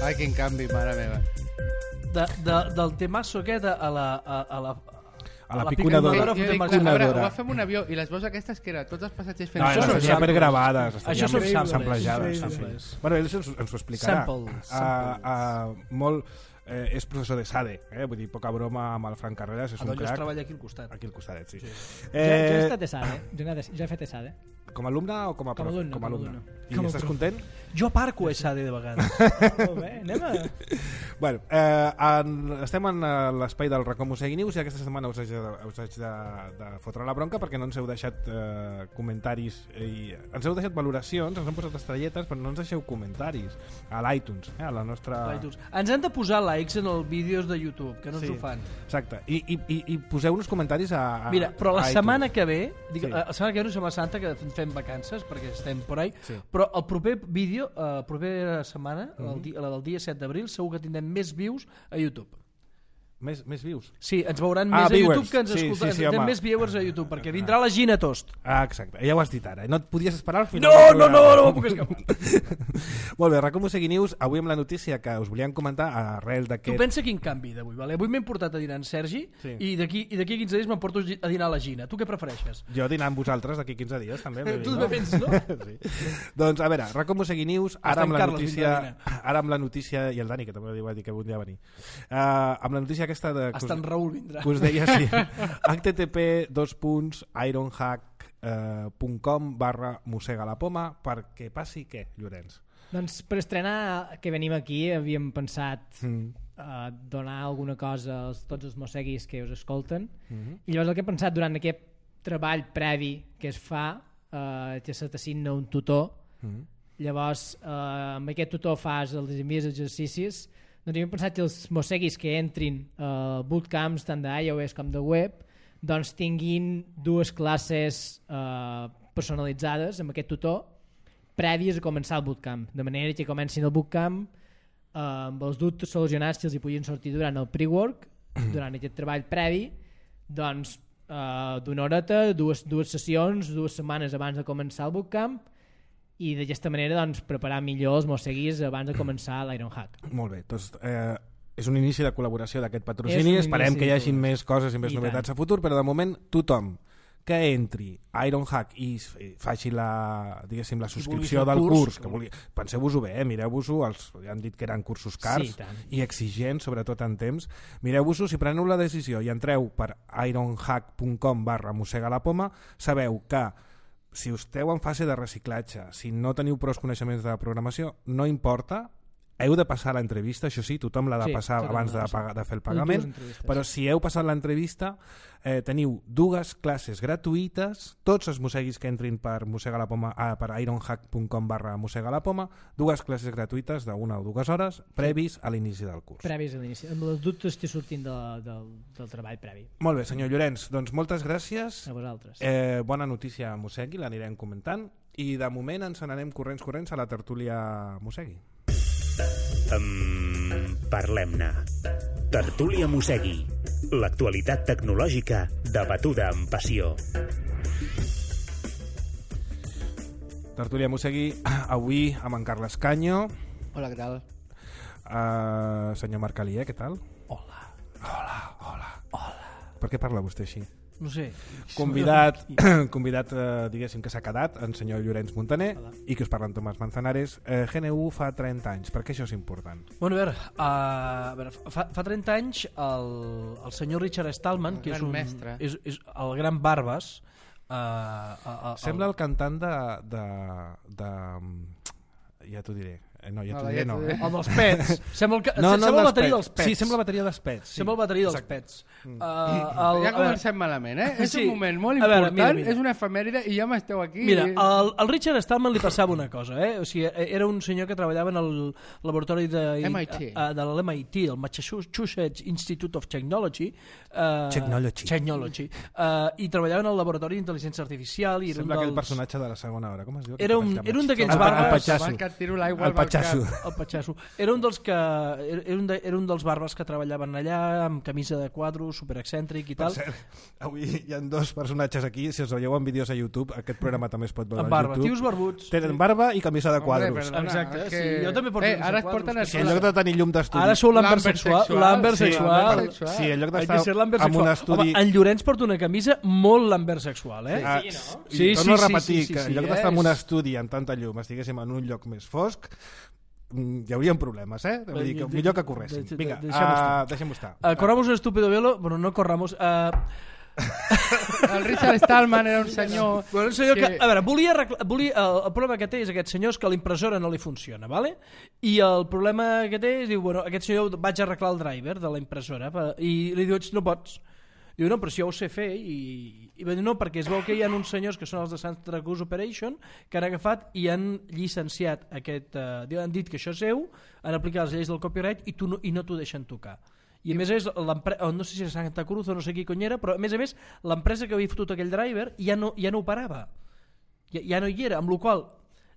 Ai, quin canvi, mare meva. Del temasso aquest a la piconadora. Ho va fer amb un avió i les veus aquestes que eren tots els passatgers fent... No, són estaria per gravades. Això són samplejades. samples. Bueno, ell ens ho explicarà. Samples. Molt... és professor de SADE, vull dir, poca broma amb el Frank Carreras, és un crac. treballa aquí al costat. Aquí al costadet, sí. Jo he estat ESADE, jo he fet ESADE. Com a alumne o com a prof? Com a alumne. I estàs content? Jo aparco a SADE de vegades. Molt bé, anem a... Bueno, estem en l'espai del Racó Mosegui News i aquesta setmana us haig de fotre la bronca perquè no ens heu deixat comentaris i ens heu deixat valoracions, ens han posat estrelletes però no ens deixeu comentaris a l'iTunes, a la nostra... Ens han de posar likes en els vídeos de YouTube, que no ens ho fan. Exacte, i poseu-nos comentaris a Mira, però la iTunes. setmana que ve, la setmana que ve no és Setmana Santa, que fem vacances perquè estem por ahí, però el proper vídeo, propera setmana, la del dia 7 d'abril, segur que tindrem més views a YouTube. Més vius? Sí, ens veuran més a viewers. YouTube que ens escolten. Sí, tindrem més viewers a YouTube, perquè vindrà la Gina Tost. Exacte, ja ho has dit ara. No et podies esperar al final? No puc escapar. Molt bé, Racó Mosegui News, avui amb la notícia que us volíem comentar arrel d'aquest... Tu pensa quin canvi d'avui, vale? Avui m'he portat a dinar en Sergi i d'aquí 15 dies me'n porto a dinar a la Gina. Tu què prefereixes? Jo dinar amb vosaltres d'aquí 15 dies, també. Tu també penses, no? Sí. Doncs, a veure, Racó Mosegui News, ara amb la notícia, i el Dani, que també va dir que volia venir, amb la notícia aquesta de... Hasta en Raül vindrà. Que us deia, sí. http://ironhack.com/mosegalapoma perquè passi què, Llorenç? Doncs per estrenar que venim aquí havíem pensat donar alguna cosa a tots els mosseguis que us escolten i llavors el que he pensat durant aquest treball previ que es fa que se t'assigna un tutor llavors amb aquest tutor fas els envies exercicis. Doncs hem pensat que els mosseguis que entrin a bootcamps tant d'iOS com de web doncs tinguin dues classes personalitzades amb aquest tutor prèvies a començar el bootcamp, de manera que comencin el bootcamp amb els dubtes solucionats que els hi puguin sortir durant el pre-work, durant aquest treball previ, doncs d'una horeta, dues sessions, 2 setmanes abans de començar el bootcamp i d'aquesta manera doncs, preparar millor els mosseguis abans de començar l'Ironhack. Molt bé, doncs és un inici de col·laboració d'aquest patrocini, esperem que hi hagi més coses i més novetats a futur, però de moment tothom que entri a Ironhack i faci la subscripció del curs, que penseu-vos-ho bé, mireu-vos-ho, ja han dit que eren cursos cars i exigents, sobretot en temps, mireu-vos-ho, si preneu la decisió i entreu per ironhack.com/mosegalapoma, sabeu que si esteu en fase de reciclatge, si no teniu prou coneixements de programació, no importa, heu de passar l'entrevista, això sí, tothom l'ha de passar abans de fer el pagament, però si heu passat l'entrevista teniu 2 classes gratuïtes, tots els mosseguis que entrin per ironhack.com/mosegalapoma, 2 classes gratuïtes d'1 o 2 hores previs a l'inici del curs. Previs a l'inici, amb els dubtes que surtin del treball previ. Molt bé, senyor Llorenç, doncs moltes gràcies. A vosaltres. Bona notícia a Mossegui, l'anirem comentant i de moment ens n'anem corrents a la tertúlia Mossegui. Parlem-ne. Tertúlia Mossegui. L'actualitat tecnològica debatuda amb passió. Tertúlia Mossegui, avui amb en Carles Canyo. Hola, què tal? Senyor Marc Alier, què tal? Hola. Per què parla vostè així? No sé. Convidat diguéssim que s'ha quedat, el senyor Llorenç Montaner. Hola. I que us parla en Tomàs Manzanares. GNU fa 30 anys, per què això és important? Bueno, a veure fa 30 anys el senyor Richard Stallman, que és el gran Barbas, sembla el cantant de ja t'ho diré. No, ja t'ho diré, no. El dels Pets. Sembla el bateria dels Pets. Sí, sembla la bateria dels Pets. Sembla el bateria dels Pets. Ja comencem malament, És un moment molt important, és una efemèride i ja m'esteu aquí. Mira, al Richard Stallman li passava una cosa, O sigui, era un senyor que treballava en el laboratori de l'MIT, el Massachusetts Institute of Technology, i treballava en el laboratori d'intel·ligència artificial. Sembla aquell personatge de la segona hora, com es diu? Era un d'aquells barbes... El Patxasso. El Patxasso. Era un dels era un dels barbes que treballaven allà amb camisa de quadro, superexcèntric i Per tal. cert, avui hi ha dos personatges aquí, si us veieu en vídeos a YouTube, aquest programa també es pot veure Amb a barba, YouTube. tios barbuts. Tenen barba i camisa de quadros. Perdona, Exacte, és que... sí, jo també porto camisa ara de es porten quadros. Si en lloc de tenir llum d'estudi... Ara sou l'Amber L'Amber sexual. sexual. L'Amber Sí, sexual. l'Amber sexual. Sí, en lloc Hay que ser d'estar l'Amber amb un sexual. estudi... Home, en Llorenç porta una camisa molt l'Amber sexual, eh? Ah, Sí, no? Sí, torno a sí, repetir sí, que sí, en lloc sí, d'estar en és- un estudi amb tanta llum estiguéssim en un lloc més fosc, hi haurien problemes, eh? Vull dir que millor que corréssim. Vinga, deixem-ho estar. Corramos un estúpido velo, bueno, no corramos... El Richard Stallman era un senyor... Bueno, un senyor que, a veure, el problema que té és aquest senyor és que l'impressora no li funciona, ¿vale? I el problema que té és, diu, bueno, aquest senyor vaig arreglar el driver de la impressora i li diu, no pots. Diu, no, però si jo ho sé fer i va dir, no, perquè es veu que hi ha uns senyors que són els de Santa Cruz Operation que han agafat i han llicenciat aquest, han dit que això és seu, han aplicat les lleis del copyright i no t'ho deixen tocar. I a més és no sé si és Santa Cruz o no sé qui cony era, però a més l'empresa que havia fotut aquell driver ja no operava, ja no hi era, amb la qual cosa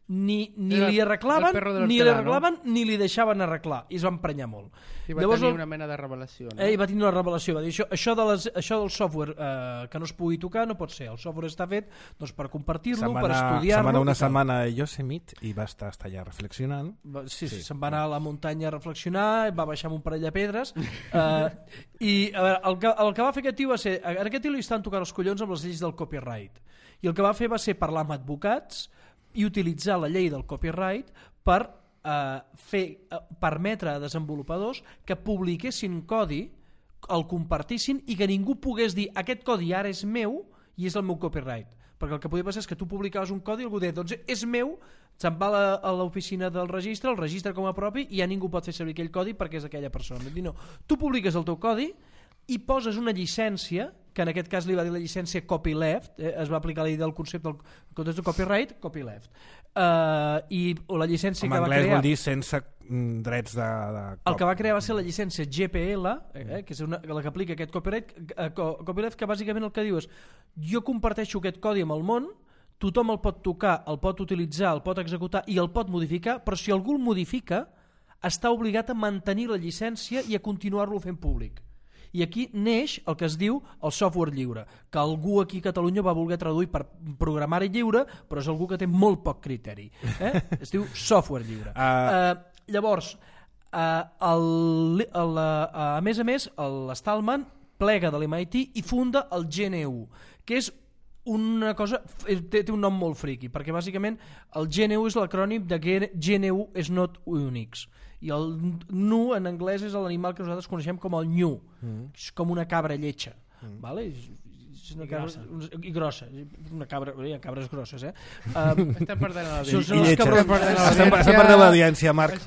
ni li arreglaven ni li deixaven arreglar i es va emprenyar molt. I va tenir una mena de revelació, no? Va tenir una revelació, va dir això del software que no es pugui tocar no pot ser, el software està fet doncs, per compartir-lo, per estudiar-lo. Una setmana a Yosemite i va estar allà reflexionant. Sí, se'n va anar a la muntanya a reflexionar, va baixar amb un parell de pedres i a veure, el que va fer aquest tio va ser, a aquest tio li estan tocant els collons amb les lleis del copyright i el que va fer va ser parlar amb advocats i utilitzar la llei del copyright per permetre a desenvolupadors que publiquessin codi, el compartissin i que ningú pogués dir aquest codi ara és meu i és el meu copyright, perquè el que podia passar és que tu publicaves un codi i algú deia, doncs és meu, se'n va a l'oficina del registre, el registre com a propi i ja ningú pot fer servir aquell codi perquè és aquella persona. No, tu publiques el teu codi i poses una llicència, que en aquest cas li va dir la llicència copyleft, es va aplicar la llei del concepte del context de copyright, copyleft. I la llicència que va crear... En anglès vol dir sense drets de el que va crear va ser la llicència GPL, que és la que aplica aquest copyleft, que bàsicament el que diu és jo comparteixo aquest codi amb el món, tothom el pot tocar, el pot utilitzar, el pot executar i el pot modificar, però si algú el modifica està obligat a mantenir la llicència i a continuar-lo fent públic. I aquí neix el que es diu el software lliure, que algú aquí a Catalunya va voler traduir per programari lliure, però és algú que té molt poc criteri. Es diu software lliure. Llavors, a més, l'Stallman plega de l'MIT i funda el GNU, que és una cosa, té un nom molt friqui, perquè bàsicament el GNU és l'acrònim de GNU is not Unix, i el nu en anglès és l'animal que nosaltres coneixem com el nyu, és com una cabra lletja, vale? És una cabra, i grossa, una cabra, hi ha cabres grosses, Estem perdent l'audiència. I lletja. Estem perdent l'audiència, Marc.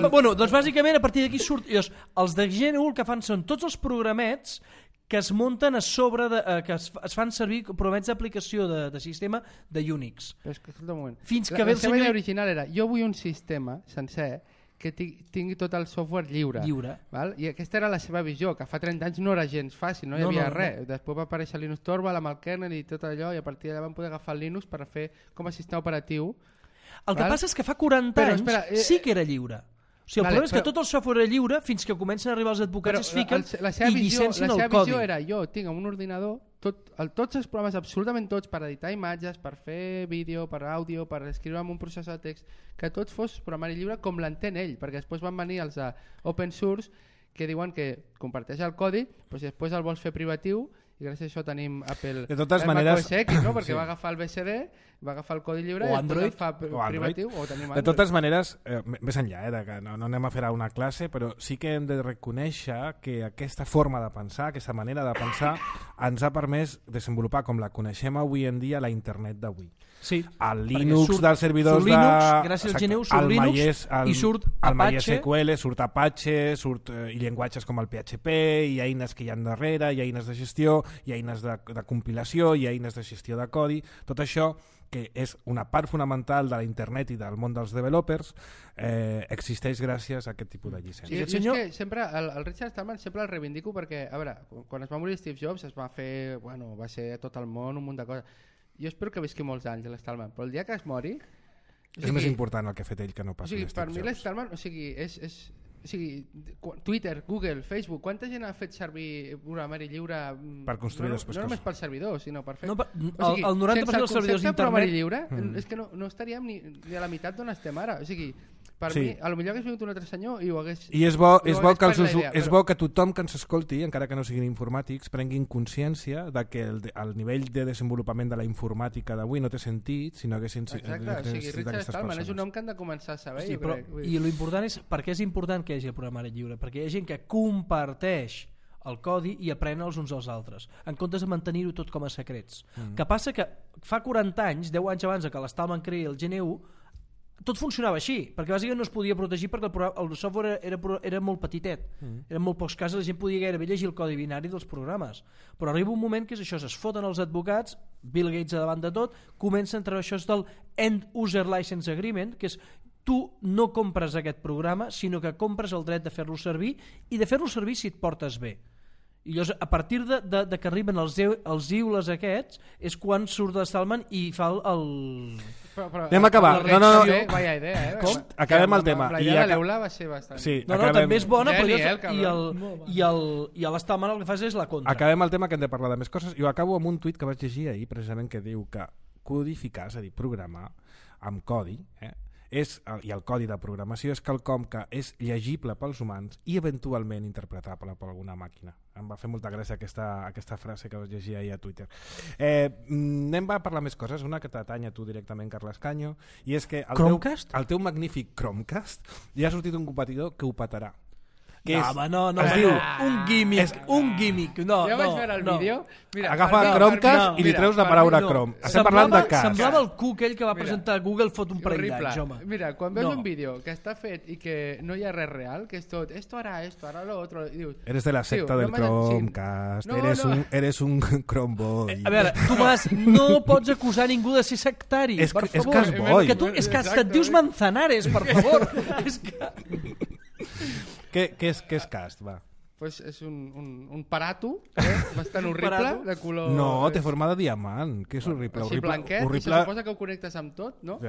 Bueno, doncs bàsicament a partir d'aquí surt, els de GNU el que fan són tots els programets que es munten a sobre, que es fan servir programets d'aplicació de sistema de Unix. Però és que, escolta un moment. Fins que ve el seva senyor... idea original era, jo vull un sistema sencer que tingui tot el software lliure. Val? I aquesta era la seva visió, que fa 30 anys no era gens fàcil, no hi havia res. Després va aparèixer Linux Torvald amb el kernel i tot allò, i a partir d'allà van poder agafar el Linux per fer com a sistema operatiu. El que passa és que fa 40 anys sí que era lliure. O sigui, el problema és que tot el software era lliure fins que comencen a arribar els advocats, es fiquen i llicencien el codi. La seva visió era, jo tinc un ordinador, tots els programes, absolutament tots, per editar imatges, per fer vídeo, per àudio, per escriure en un processor de text, que tot fos programari lliure com l'entén ell, perquè després van venir els open source que diuen que comparteix el codi, però si després el vols fer privatiu, i gràcies a això tenim Apple macOS X, no? Perquè va agafar el BSD, va agafar el codi lliure o i Android, el fa privatiu, o tenim Android. De totes maneres, més enllà de que no anem a fer una classe, però sí que hem de reconèixer que aquesta forma de pensar, aquesta manera de pensar ens ha permès desenvolupar com la coneixem avui en dia la internet d'avui. Sí, el Linux dels servidors de... Gràcies al GNU surt Linux i surt Apache. El MySQL, surt Apache, i llenguatges com el PHP, i eines que hi ha darrere, i eines de gestió, i eines de compilació, i eines de gestió de codi. Tot això, que és una part fonamental de la internet i del món dels developers, existeix gràcies a aquest tipus de llicència. I és que sempre, el Richard Stallman sempre el reivindico perquè, a veure, quan es va morir Steve Jobs es va fer, va ser a tot el món un munt de coses. Jo espero que visqui molts anys l'Stallman, però el dia que es mori És més important el que ha fet ell que no pas per mi l'Stallman, Twitter, Google, Facebook, quanta gent ha fet servir programari lliure per construir després no només pel servidor, sinó per fer... el 90% dels servidors d'internet... programari lliure, és que no estaríem ni a la meitat d'on estem ara. O sigui, per mi, a lo millor hagués vingut un altre senyor i ho hagués... I és bo que tothom que ens escolti, encara que no siguin informàtics, prenguin consciència de que el nivell de desenvolupament de la informàtica d'avui no té sentit si no haguessin Exacte, o sigui, Richard Stallman és un nom que han de començar a saber, jo crec. I l'important és, per què és important que hi hagi el programari lliure? Perquè hi ha gent que comparteix el codi i aprèn els uns als altres, en comptes de mantenir-ho tot com a secrets. Que passa que fa 40 anys, 10 anys abans que l'Stallman creï el GNU, tot funcionava així, perquè bàsicament no es podia protegir perquè el software era molt petitet, eren molt pocs casos, la gent podia gairebé llegir el codi binari dels programes, però arriba un moment que és això, es foten els advocats, Bill Gates a davant de tot, comença a entrar això del End User License Agreement, que és tu no compres aquest programa, sinó que compres el dret de fer-lo servir i de fer-lo servir si et portes bé. I llavors, a partir de que arriben els iules aquests és quan surt l'Stallman i fa el... Anem a acabar. No. Vaya idea, Com? Acabem el tema. La idea de l'Eula va ser bastant... Sí, no, també és bona, i l'Stallman el que fa és la contra. Acabem el tema, que hem de parlar de més coses, i ho acabo amb un tuit que vaig llegir ahir, precisament, que diu que codificar, és a dir, programar amb codi, i el codi de programació és quelcom que és llegible pels humans i eventualment interpretable per alguna màquina. Em va fer molta gràcia aquesta frase que vas llegir ahir a Twitter. Anem a parlar més coses, una que t'atanya tu directament, Carles Canyo, i és que el teu magnífic Chromecast ja ha sortit un competidor que ho petarà. No, es diu un gimmick. Ja vaig veure el vídeo. Agafa Chromecast i li treus la paraula Chrome. Estem parlant de cas. Semblava el Cook, ell que va presentar Google fot un parell d'anys, home. Mira, quan veus un vídeo que està fet i que no hi ha res real, que és tot, esto hará lo otro, i dius... Eres de la secta del Chromecast, eres un Chromeboy. A veure, Tomàs, no pots acusar ningú de ser sectari, per favor. És Casboy. És que hasta et dius Manzanares, per favor. És que... Què és cast, va? Pues és un parato bastant horrible, de color... No, té forma de diamant, que és horrible. Així blanquet, i se suposa que ho connectes amb tot, ¿no?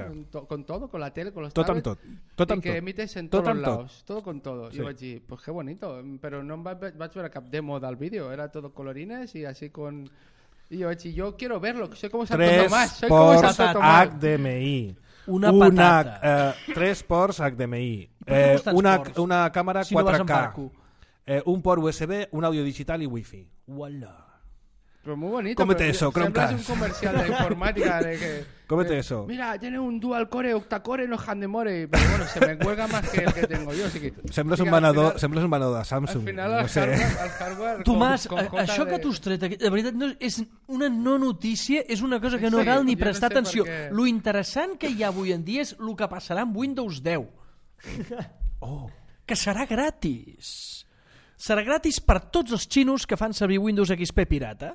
Con todo, con la tele, con los tablets. Tot i que emites en todos lados, todo con todo. I vaig dir, pues qué bonito, però no vaig veure cap demo del vídeo, era todo colorines y así con... Y yo vaig dir, yo quiero verlo, soy como Santo Tomás, soy como Santo Tomás. HDMI. Una patata. 3 ports HDMI. Una càmera 4K. Un port USB, un audio digital y wifi. Uala. Pero muy bonito. Cómete eso, Chromecast. Es un comercial de informática de que... Cómete eso. Mira, tiene un dual core, octacore, no handemore. Pero bueno, se me cuelga más que el que tengo yo. Así que, sembles un venedor de Samsung. Al final el hardware Tomàs, això que tu has tret, de veritat, no, és una no notícia, és una cosa que no cal ni prestar atenció. Lo interessant que hi ha avui en dia és el que passarà amb Windows 10. Que serà gratis. Serà gratis per tots els xinos que fan servir Windows XP pirata.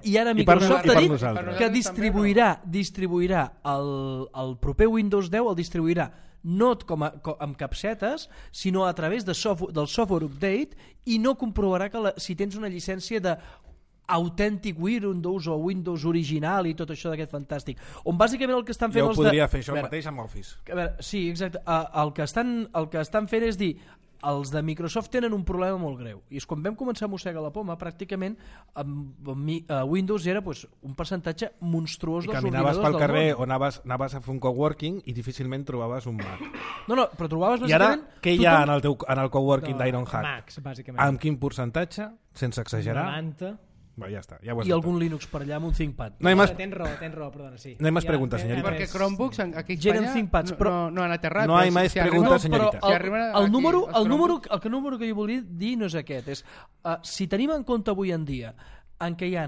I ara Microsoft ha dit que distribuirà el proper Windows 10, el distribuirà no amb capsetes, sinó a través del software update, i no comprovarà que si tens una llicència de Authentic Windows o Windows original i tot això d'aquest fantàstic, on bàsicament el que estan fent... Jo podria fer això mateix amb Office. Sí, exacte. El que estan fent és dir, els de Microsoft tenen un problema molt greu, i és quan vam començar a mossegar la poma, pràcticament Windows era un percentatge monstruós dels ordinadors del món. I caminaves pel carrer o anaves a fer un coworking i difícilment trobaves un Mac. No, però trobaves I bàsicament... ara, què hi ha en el coworking d'Ironhack? Macs, bàsicament. Amb quin percentatge? Sense exagerar? 90... Ja està, ja i algun Linux per allà amb un ThinkPad. Tens raó, perdona, sí. No hay más preguntas, señorita. Perquè Chromebooks aquí a Espanya no han aterrat. No hay más preguntas, señorita. El número que jo volia dir no és aquest. Si tenim en compte avui en dia en què hi ha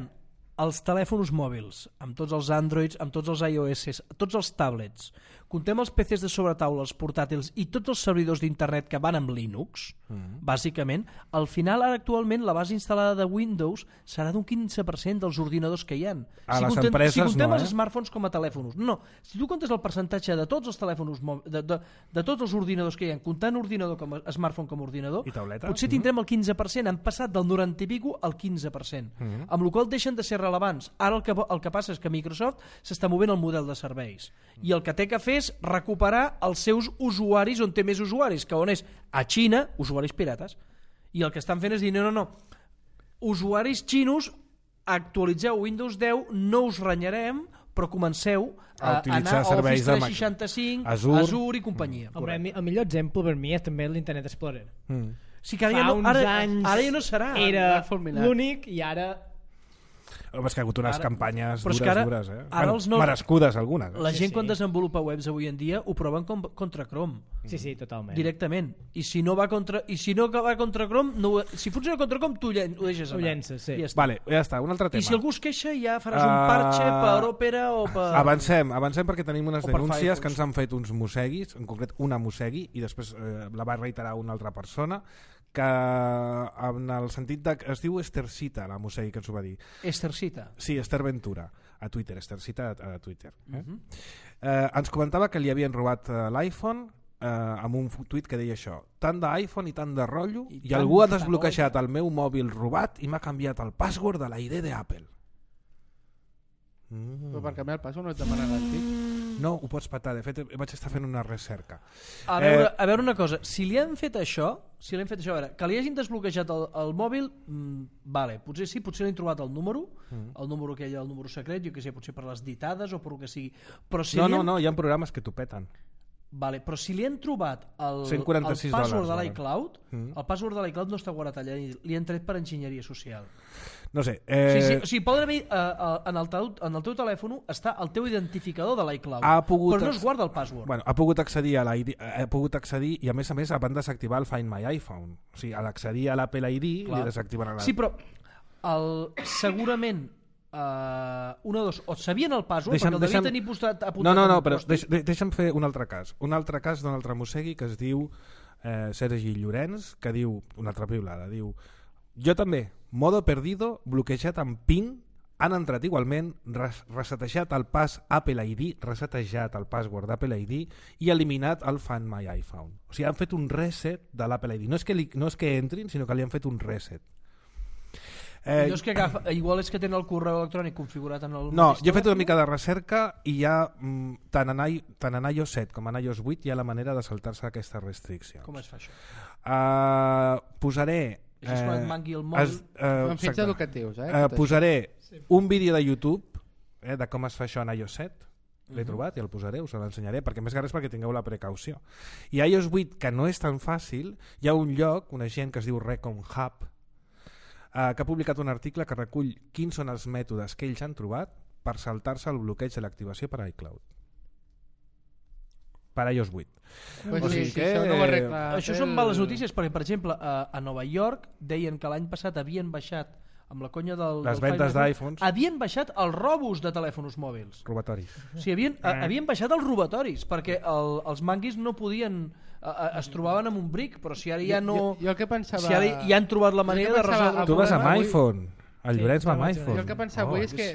els telèfons mòbils, amb tots els Androids, amb tots els iOS, tots els tablets, contem els PCs de sobretaula, els portàtils i tots els servidors d'internet que van amb Linux, bàsicament, al final, ara actualment, la base instal·lada de Windows serà d'un 15% dels ordinadors que hi ha. Si contem els smartphones com a telèfons. No, si tu comptes el percentatge de tots els telèfons, de tots els ordinadors que hi ha, comptant ordinador com a smartphone com a ordinador, potser tindrem el 15%, han passat del 90 i pico al 15%, amb la qual cosa deixen de ser rellevants. Ara el que passa és que Microsoft s'està movent el model de serveis i el que té que fer és recuperar els seus usuaris on té més usuaris, que on és a Xina, usuaris pirates. I el que estan fent és dir, no, usuaris xinos, actualitzeu Windows 10, no us renyarem, però comenceu a utilitzar anar a serveis Office de 365, Azure i companyia. Home, el millor exemple per mi és també l'Internet Explorer. Sí, que Fa uns anys ara ja no serà. Era l'únic i ara... Home, és que ha hagut unes campanyes dures, Ara merescudes algunes. La gent quan desenvolupa webs avui en dia ho proven contra Chrome. Sí, totalment. Directament. I si no va contra Chrome, si funciona contra Chrome, tu ho deixes anar. Ho llences, sí. Ja està. Vale, ja està, un altre tema. I si algú es queixa ja faràs un parche per Opera o per... Avancem perquè tenim unes denúncies Firefox. que ens han fet uns mosseguis, en concret una mossegui, i després la va reiterar una altra persona, que en el sentit de... Es diu Estercita, la mossegui, que ens ho va dir. Estercita? Sí, Esther Ventura, a Twitter, Estercita a Twitter. Ens comentava que li havien robat l'iPhone amb un tuit que deia això: tant d'iPhone i tant de rotllo, i algú ha desbloquejat el meu mòbil robat i m'ha canviat el password de la ID d'Apple. Però per canviar el password no et demanen l'antic? No, ho pots patar. De fet, vaig estar fent una recerca. A veure una cosa, si li han fet això, a veure, que li hagin desbloquejat el mòbil, vale, potser sí, potser li han trobat el número aquell, el número secret, jo que sé, potser per les ditades o per el que sigui. Però si no, hi ha programes que t'ho peten. Vale, però si li han trobat el $146 password de l'iCloud, el password de l'iCloud no està guardat allà, li han tret per enginyeria social. No sé. Sí, poden haver en el teu telèfon està el teu identificador de l'iCloud, però no es guarda el password. Bueno, ha pogut accedir a l'ID, i a més van desactivar el Find My iPhone. O sigui, a l'accedir a l'Apple ID li desactiven Sí, però segurament una o dos, o sabien el password perquè el devien tenir apuntat. No, però deixa'm fer un altre cas d'un altre mossegui que es diu Sergi Llorenç, que diu una altra piulada, diu: jo també, modo perdido, bloquejat amb PIN, han entrat igualment, resetejat el pas Apple ID, resetejat el password d'Apple ID i eliminat el Find My iPhone. O sigui, han fet un reset de l'Apple ID. No és que entrin, sinó que li han fet un reset. Igual és que tenen el correu electrònic configurat en el... No, jo he fet una mica de recerca i hi ha, tant en iOS 7 com en iOS 8, hi ha la manera de saltar-se aquesta restricció. Com es fa això? Posaré... És quan et mangui el mòbil. En fins educatius, posaré un vídeo de YouTube de com es fa això en iOS 7. L'he trobat i el posaré, us l'ensenyaré, perquè més que res perquè tingueu la precaució. I iOS 8, que no és tan fàcil, hi ha un lloc, una gent que es diu Recon Hub, que ha publicat un article que recull quins són els mètodes que ells han trobat per saltar-se el bloqueig de l'activació per iCloud. Per iOS 8. Pues això són males notícies, perquè, per exemple, a Nova York deien que l'any passat havien baixat, amb la conya les vendes d'iPhones, havien baixat els robos de telèfons mòbils. Robatoris. O sigui, havien baixat els robatoris, perquè els manguis no podien... es trobaven amb un bric, però si ara ja no... Jo el que pensava... Si ara ja han trobat la manera de resoldre... Tu vas amb iPhone. El Llorenç va amb iPhone. Jo el que pensava avui és que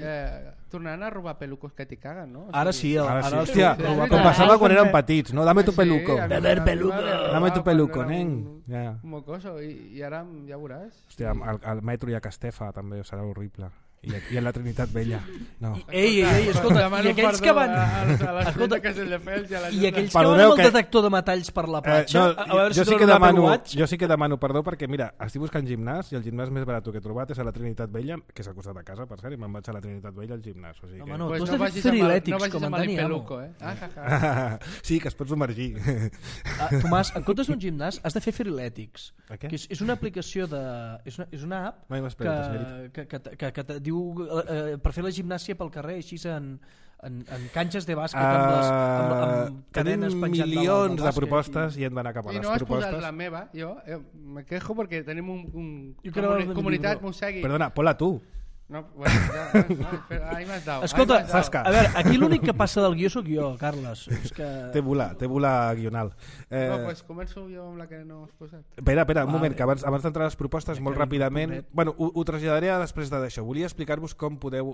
tornaran a robar pelucos que t'hi caguen, no? Ara sí. Hòstia, com passava quan érem petits, no? Dame tu peluco. Dame tu peluco, nen. Mocoso, i ara ja veuràs. Hòstia, al metro i a Castefa també serà horrible. I a la Trinitat Vella. No. Ei, escolta, i aquells que van... Escolta, i aquells que van amb el detector de metalls per la platja, a veure si donen un Apple Watch. Jo sí que demano perdó perquè, mira, estic buscant gimnàs i el gimnàs més barat que he trobat és a la Trinitat Vella, que és al costat de casa, per cert, i me'n vaig a la Trinitat Vella al gimnàs. O sigui que... No, tu has de fer frilètics, com en Dani Amo. Sí, que es pot submergir. Tomàs, en comptes d'un gimnàs, has de fer frilètics. Que és una aplicació de... És una app que te diu per fer la gimnàsia pel carrer, així en canxes de bàsquet amb cadenes penjant tenim milions de propostes i hem d'anar cap a les propostes. I no has posat la meva, jo me quejo perquè tenim un comunitat mossegui. Perdona, ponla tu. No, bueno, ahí m'has dado. Escolta, a veure, aquí l'únic que passa del guió sóc jo, Carles. Té bola guional. No, doncs començo jo amb la que no has posat. Espera, un moment, que abans d'entrar a les propostes, molt ràpidament... Bueno, ho traslladaré després d'això. Volia explicar-vos com podeu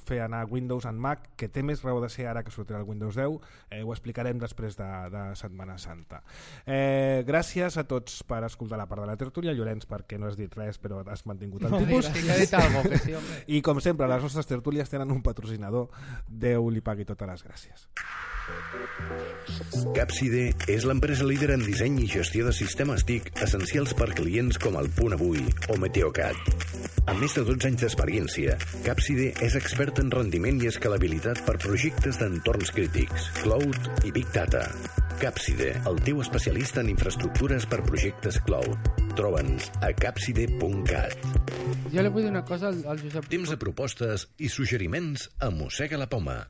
fer anar Windows en Mac, que té més raó de ser ara que sortirà el Windows 10. Ho explicarem després de Setmana Santa. Gràcies a tots per escoltar la part de la tertúlia. Llorenç, perquè no has dit res, però has mantingut el tipus. Sí, que ha dit algo, que sí. home. I com sempre, les nostres tertúlies tenen un patrocinador. Déu li pagui totes les gràcies. Capside és l'empresa líder en disseny i gestió de sistemes TIC essencials per clients com el Punt Avui o Meteocat. Amb més de 12 anys d'experiència, Capside és expert en rendiment i escalabilitat per projectes d'entorns crítics, cloud i Big Data. Capside, el teu especialista en infraestructures per projectes cloud. Troba'ns a capside.cat. Jo li vull dir una cosa al Josep. Temps de propostes i suggeriments a Mossega la Poma.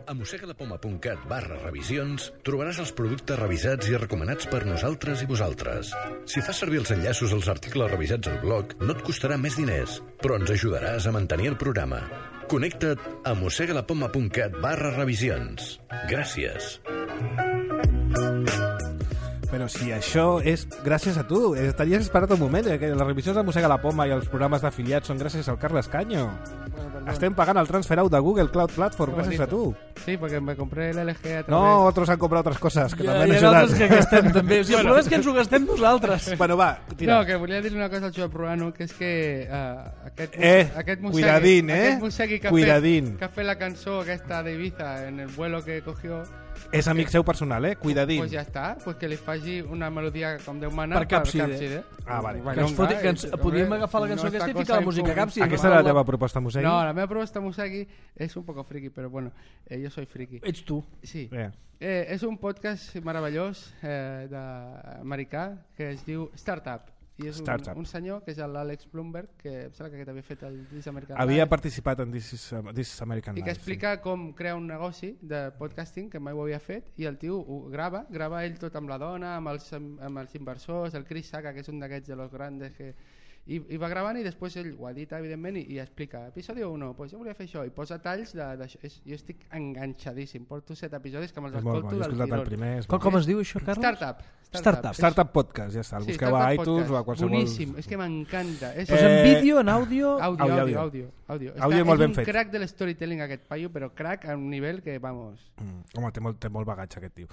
A mossegalapoma.cat/revisions trobaràs els productes revisats i recomanats per nosaltres i vosaltres. Si fas servir els enllaços als articles revisats al blog, no et costarà més diners, però ens ajudaràs a mantenir el programa. Connecta't a mossegalapoma.cat/revisions. Gràcies. Però si això és gràcies a tu, estaries esperat un moment, que les revisions de Mossega la Poma i els programes d'afiliats són gràcies al Carles Caño. Estem pagant el transfer out de Google Cloud Platform gràcies a tu. Sí, porque me compré el LG a través... No, otros han comprado otras cosas que també han Hi ha ajudat. altres que gastem també. O sigui, el problema és que ens ho gastem nosaltres. Bueno, va, tira. No, que volia dir una cosa al Josep Ruano, que és que aquest cuidadín, aquest Mosegui que cuidadín. Que ha fet la cançó aquesta d'Ibiza en el vuelo que cogió... És amic seu personal, cuidadín. Pues ja està, pues que li faci una melodia com Déu mana Per Capside. Ah, vale. Que podríem agafar la cançó aquesta i ficar la música Capside. Aquesta era la teva proposta, Mosegui? No, la meva proposta, Mosegui, és un poco friki, però bueno, jo soy friki. Ets tu. Sí. És un podcast meravellós d'americà que es diu Startup. I és un senyor que és l'Àlex Blumberg, que em sembla que aquest havia fet el This American Life. Havia participat en This American Life. I que explica com crear un negoci de podcasting, que mai ho havia fet, i el tio ho grava ell tot amb la dona, amb els inversors, el Chris Sacca, que és un d'aquests de los grandes que... I va gravant i després ell ho edita, evidentment, i explica episodi 1, pues jo volia fer això, i posa talls d'això. Jo estic enganxadíssim, porto 7 episodis que me'ls escolto del tirón. Com es diu això, Carles? Startup Podcast, ja està, el busqueu a iTunes o a qualsevol... Boníssim, és que m'encanta. Pues en vídeo, en àudio... Àudio molt ben fet. És un crack de l'storytelling aquest paio, però crack a un nivell que, vamos... Home, té molt bagatge aquest tio.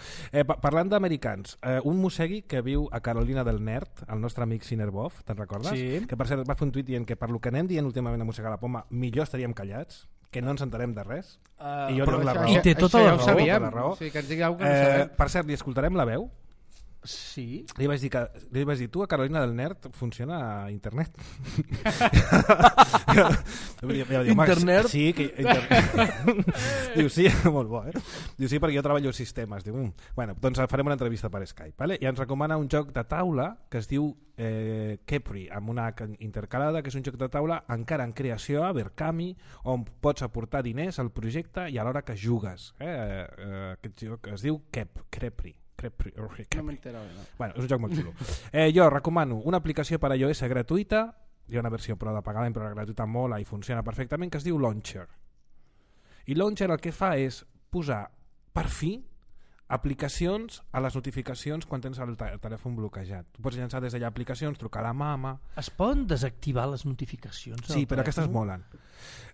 Parlant d'americans, un Mosegui que viu a Carolina del Nord, el nostre amic Sinerbov, te'n recordes? Sí. Que per cert va fer un tuit dient que per lo que anem dient últimament a Mossega la Poma millor estaríem callats, que no ens enterem de res, i jo tinc la raó. I té tota la raó. O sigui, que ens digui alguna cosa que no sabem. Per cert, li escoltarem la veu? Sí. Li vaig dir, tu a Carolina del Nord funciona a internet. Internet? Sí, diu sí, molt bo, Diu sí, perquè jo treballo sistemes. Diu, bueno, doncs farem una entrevista per Skype, vale? I ens recomana un joc de taula que es diu Kepri, amb una intercalada, que és un joc de taula encara en creació a Berkami, on pots aportar diners al projecte i alhora que jugues. Aquest joc es diu Kepri. No m'entero. Bueno, és un joc molt xulo. Jo recomano una aplicació per a iOS gratuïta, hi ha una versió però de pagament, però la gratuïta mola i funciona perfectament, que es diu Launcher. I Launcher el que fa és posar, per fi, aplicacions a les notificacions quan tens el telèfon bloquejat. Tu pots llançar des d'allà aplicacions, trucar a la mama... Es poden desactivar les notificacions? Sí, però aquestes molen.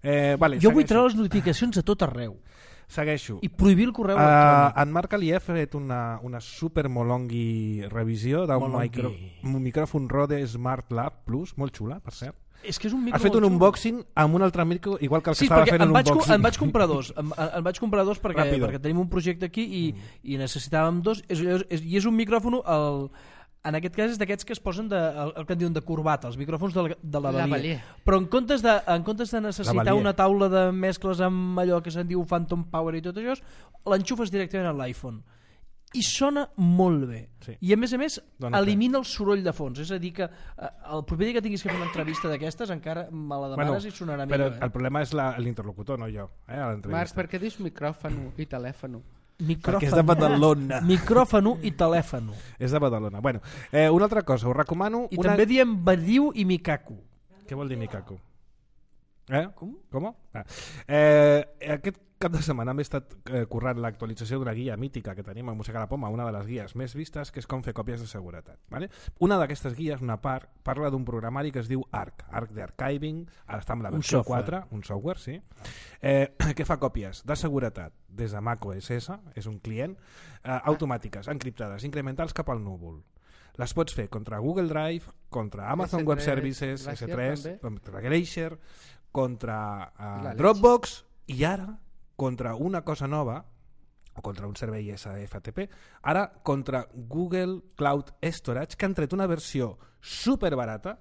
Jo vull treure les notificacions a tot arreu. Segueixo. I prohibir el correu electrònic. En Marc Alié ha fet una super molongui revisió d'un micròfon Rode Smart Lab Plus, molt xula, per cert. És que és un micro has fet un unboxing amb un altre micro igual que el que estava fent un unboxing. En vaig comprar dos. En vaig comprar dos perquè tenim un projecte aquí i necessitàvem dos. I és un micròfon... En aquest cas és d'aquests que es posen el que en diuen de corbata, els micròfons de lavalier. Però en comptes de necessitar una taula de mescles amb allò que se'n diu Phantom Power i tot això, l'enxufes directament a l'iPhone. I sona molt bé. Sí. I a més, elimina el soroll de fons. És a dir que el proper dia que tinguis que fer una entrevista d'aquestes encara me la demanes i sonarà millor. Però el problema és l'interlocutor, no jo. Marc, per què dius micròfon i telèfon? Perquè és de Badalona. Micròfon i telèfon. És de Badalona. Bueno, una altra cosa, us recomano... I també diem Badiu i Mikaku. Què vol dir Mikaku? Com? Aquest cap de setmana hem estat currant l'actualització d'una guia mítica que tenim a Mossega la Poma, una de les guies més vistes, que és com fer còpies de seguretat. Vale? Una d'aquestes guies, una part, parla d'un programari que es diu ARC d'Archiving, ara està amb la versió 4, un software, sí, que fa còpies de seguretat des de Mac OS X, és un client, automàtiques, encriptades, incrementals cap al núvol. Les pots fer contra Google Drive, contra Amazon S3, Web Services, Glacier, S3, també. contra Glacier, contra La Dropbox i ara contra una cosa nova, o contra un servei SFTP, ara contra Google Cloud Storage, que han tret una versió superbarata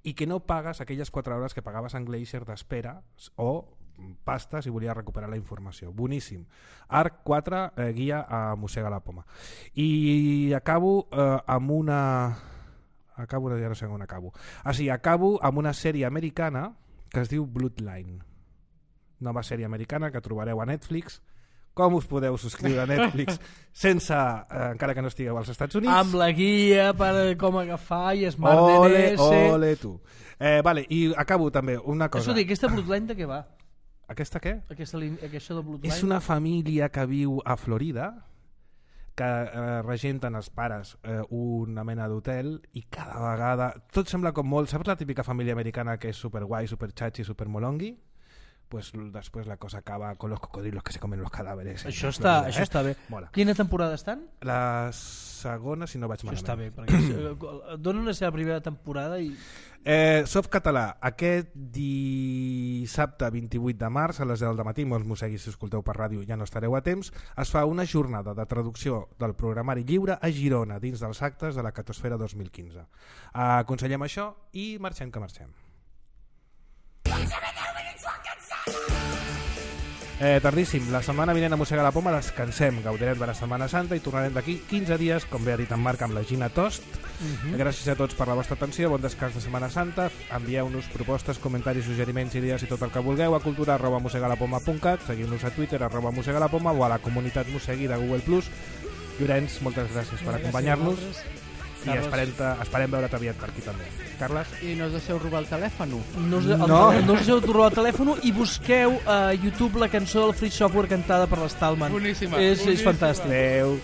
i que no pagues aquelles 4 hores que pagaves en Glacier d'espera o pasta si volies recuperar la informació. Boníssim. Arc 4, guia a Mossega la Poma. I acabo amb una... Acabo amb una sèrie americana que es diu Bloodline. Nova sèrie americana que trobareu a Netflix. Com us podeu subscriure a Netflix sense, encara que no estigueu als Estats Units? Amb la guia per com agafar i Smart Ole, DNS. ole tu. Vale, i acabo també una cosa. Això dic, aquesta Bloodline de què va? Aquesta què? Aquesta de Bloodline? És una família que viu a Florida que regenten els pares una mena d'hotel i cada vegada tot sembla com molt... Saps la típica família americana que és superguai, superchachi, supermolongui? Pues después la cosa acaba con los cocodrilos que se comen los cadáveres. Això està bé. Mola. Quina temporada estan? La segona, si no vaig malament. Això està bé, perquè donen la seva primera temporada i... Softcatalà, aquest dissabte 28 de març a les 10 del matí, molts mosseguis si escolteu per ràdio ja no estareu a temps, es fa una jornada de traducció del programari lliure a Girona dins dels actes de la Catosfera 2015. Aconsellem això i marxem que marxem. Tardíssim, la setmana vinent a Mossega la Poma descansem, gaudirem de la Setmana Santa i tornarem d'aquí 15 dies, com bé ha dit en Marc, amb la Gina Tost. Gràcies a tots per la vostra atenció, bon descans de Setmana Santa, envieu-nos propostes, comentaris, suggeriments, idees i tot el que vulgueu a cultura@mossegalapoma.cat, seguiu-nos a Twitter @mossegalapoma o a la comunitat Mossegui de Google+. Llorenç, moltes gràcies per acompanyar-nos i esperem veure't aviat per aquí també. Carles? I no us deixeu robar el telèfon. No us deixeu robar el telèfon i busqueu a YouTube la cançó del Free Software cantada per l'Stallman. Boníssima. És fantàstic. Adéu.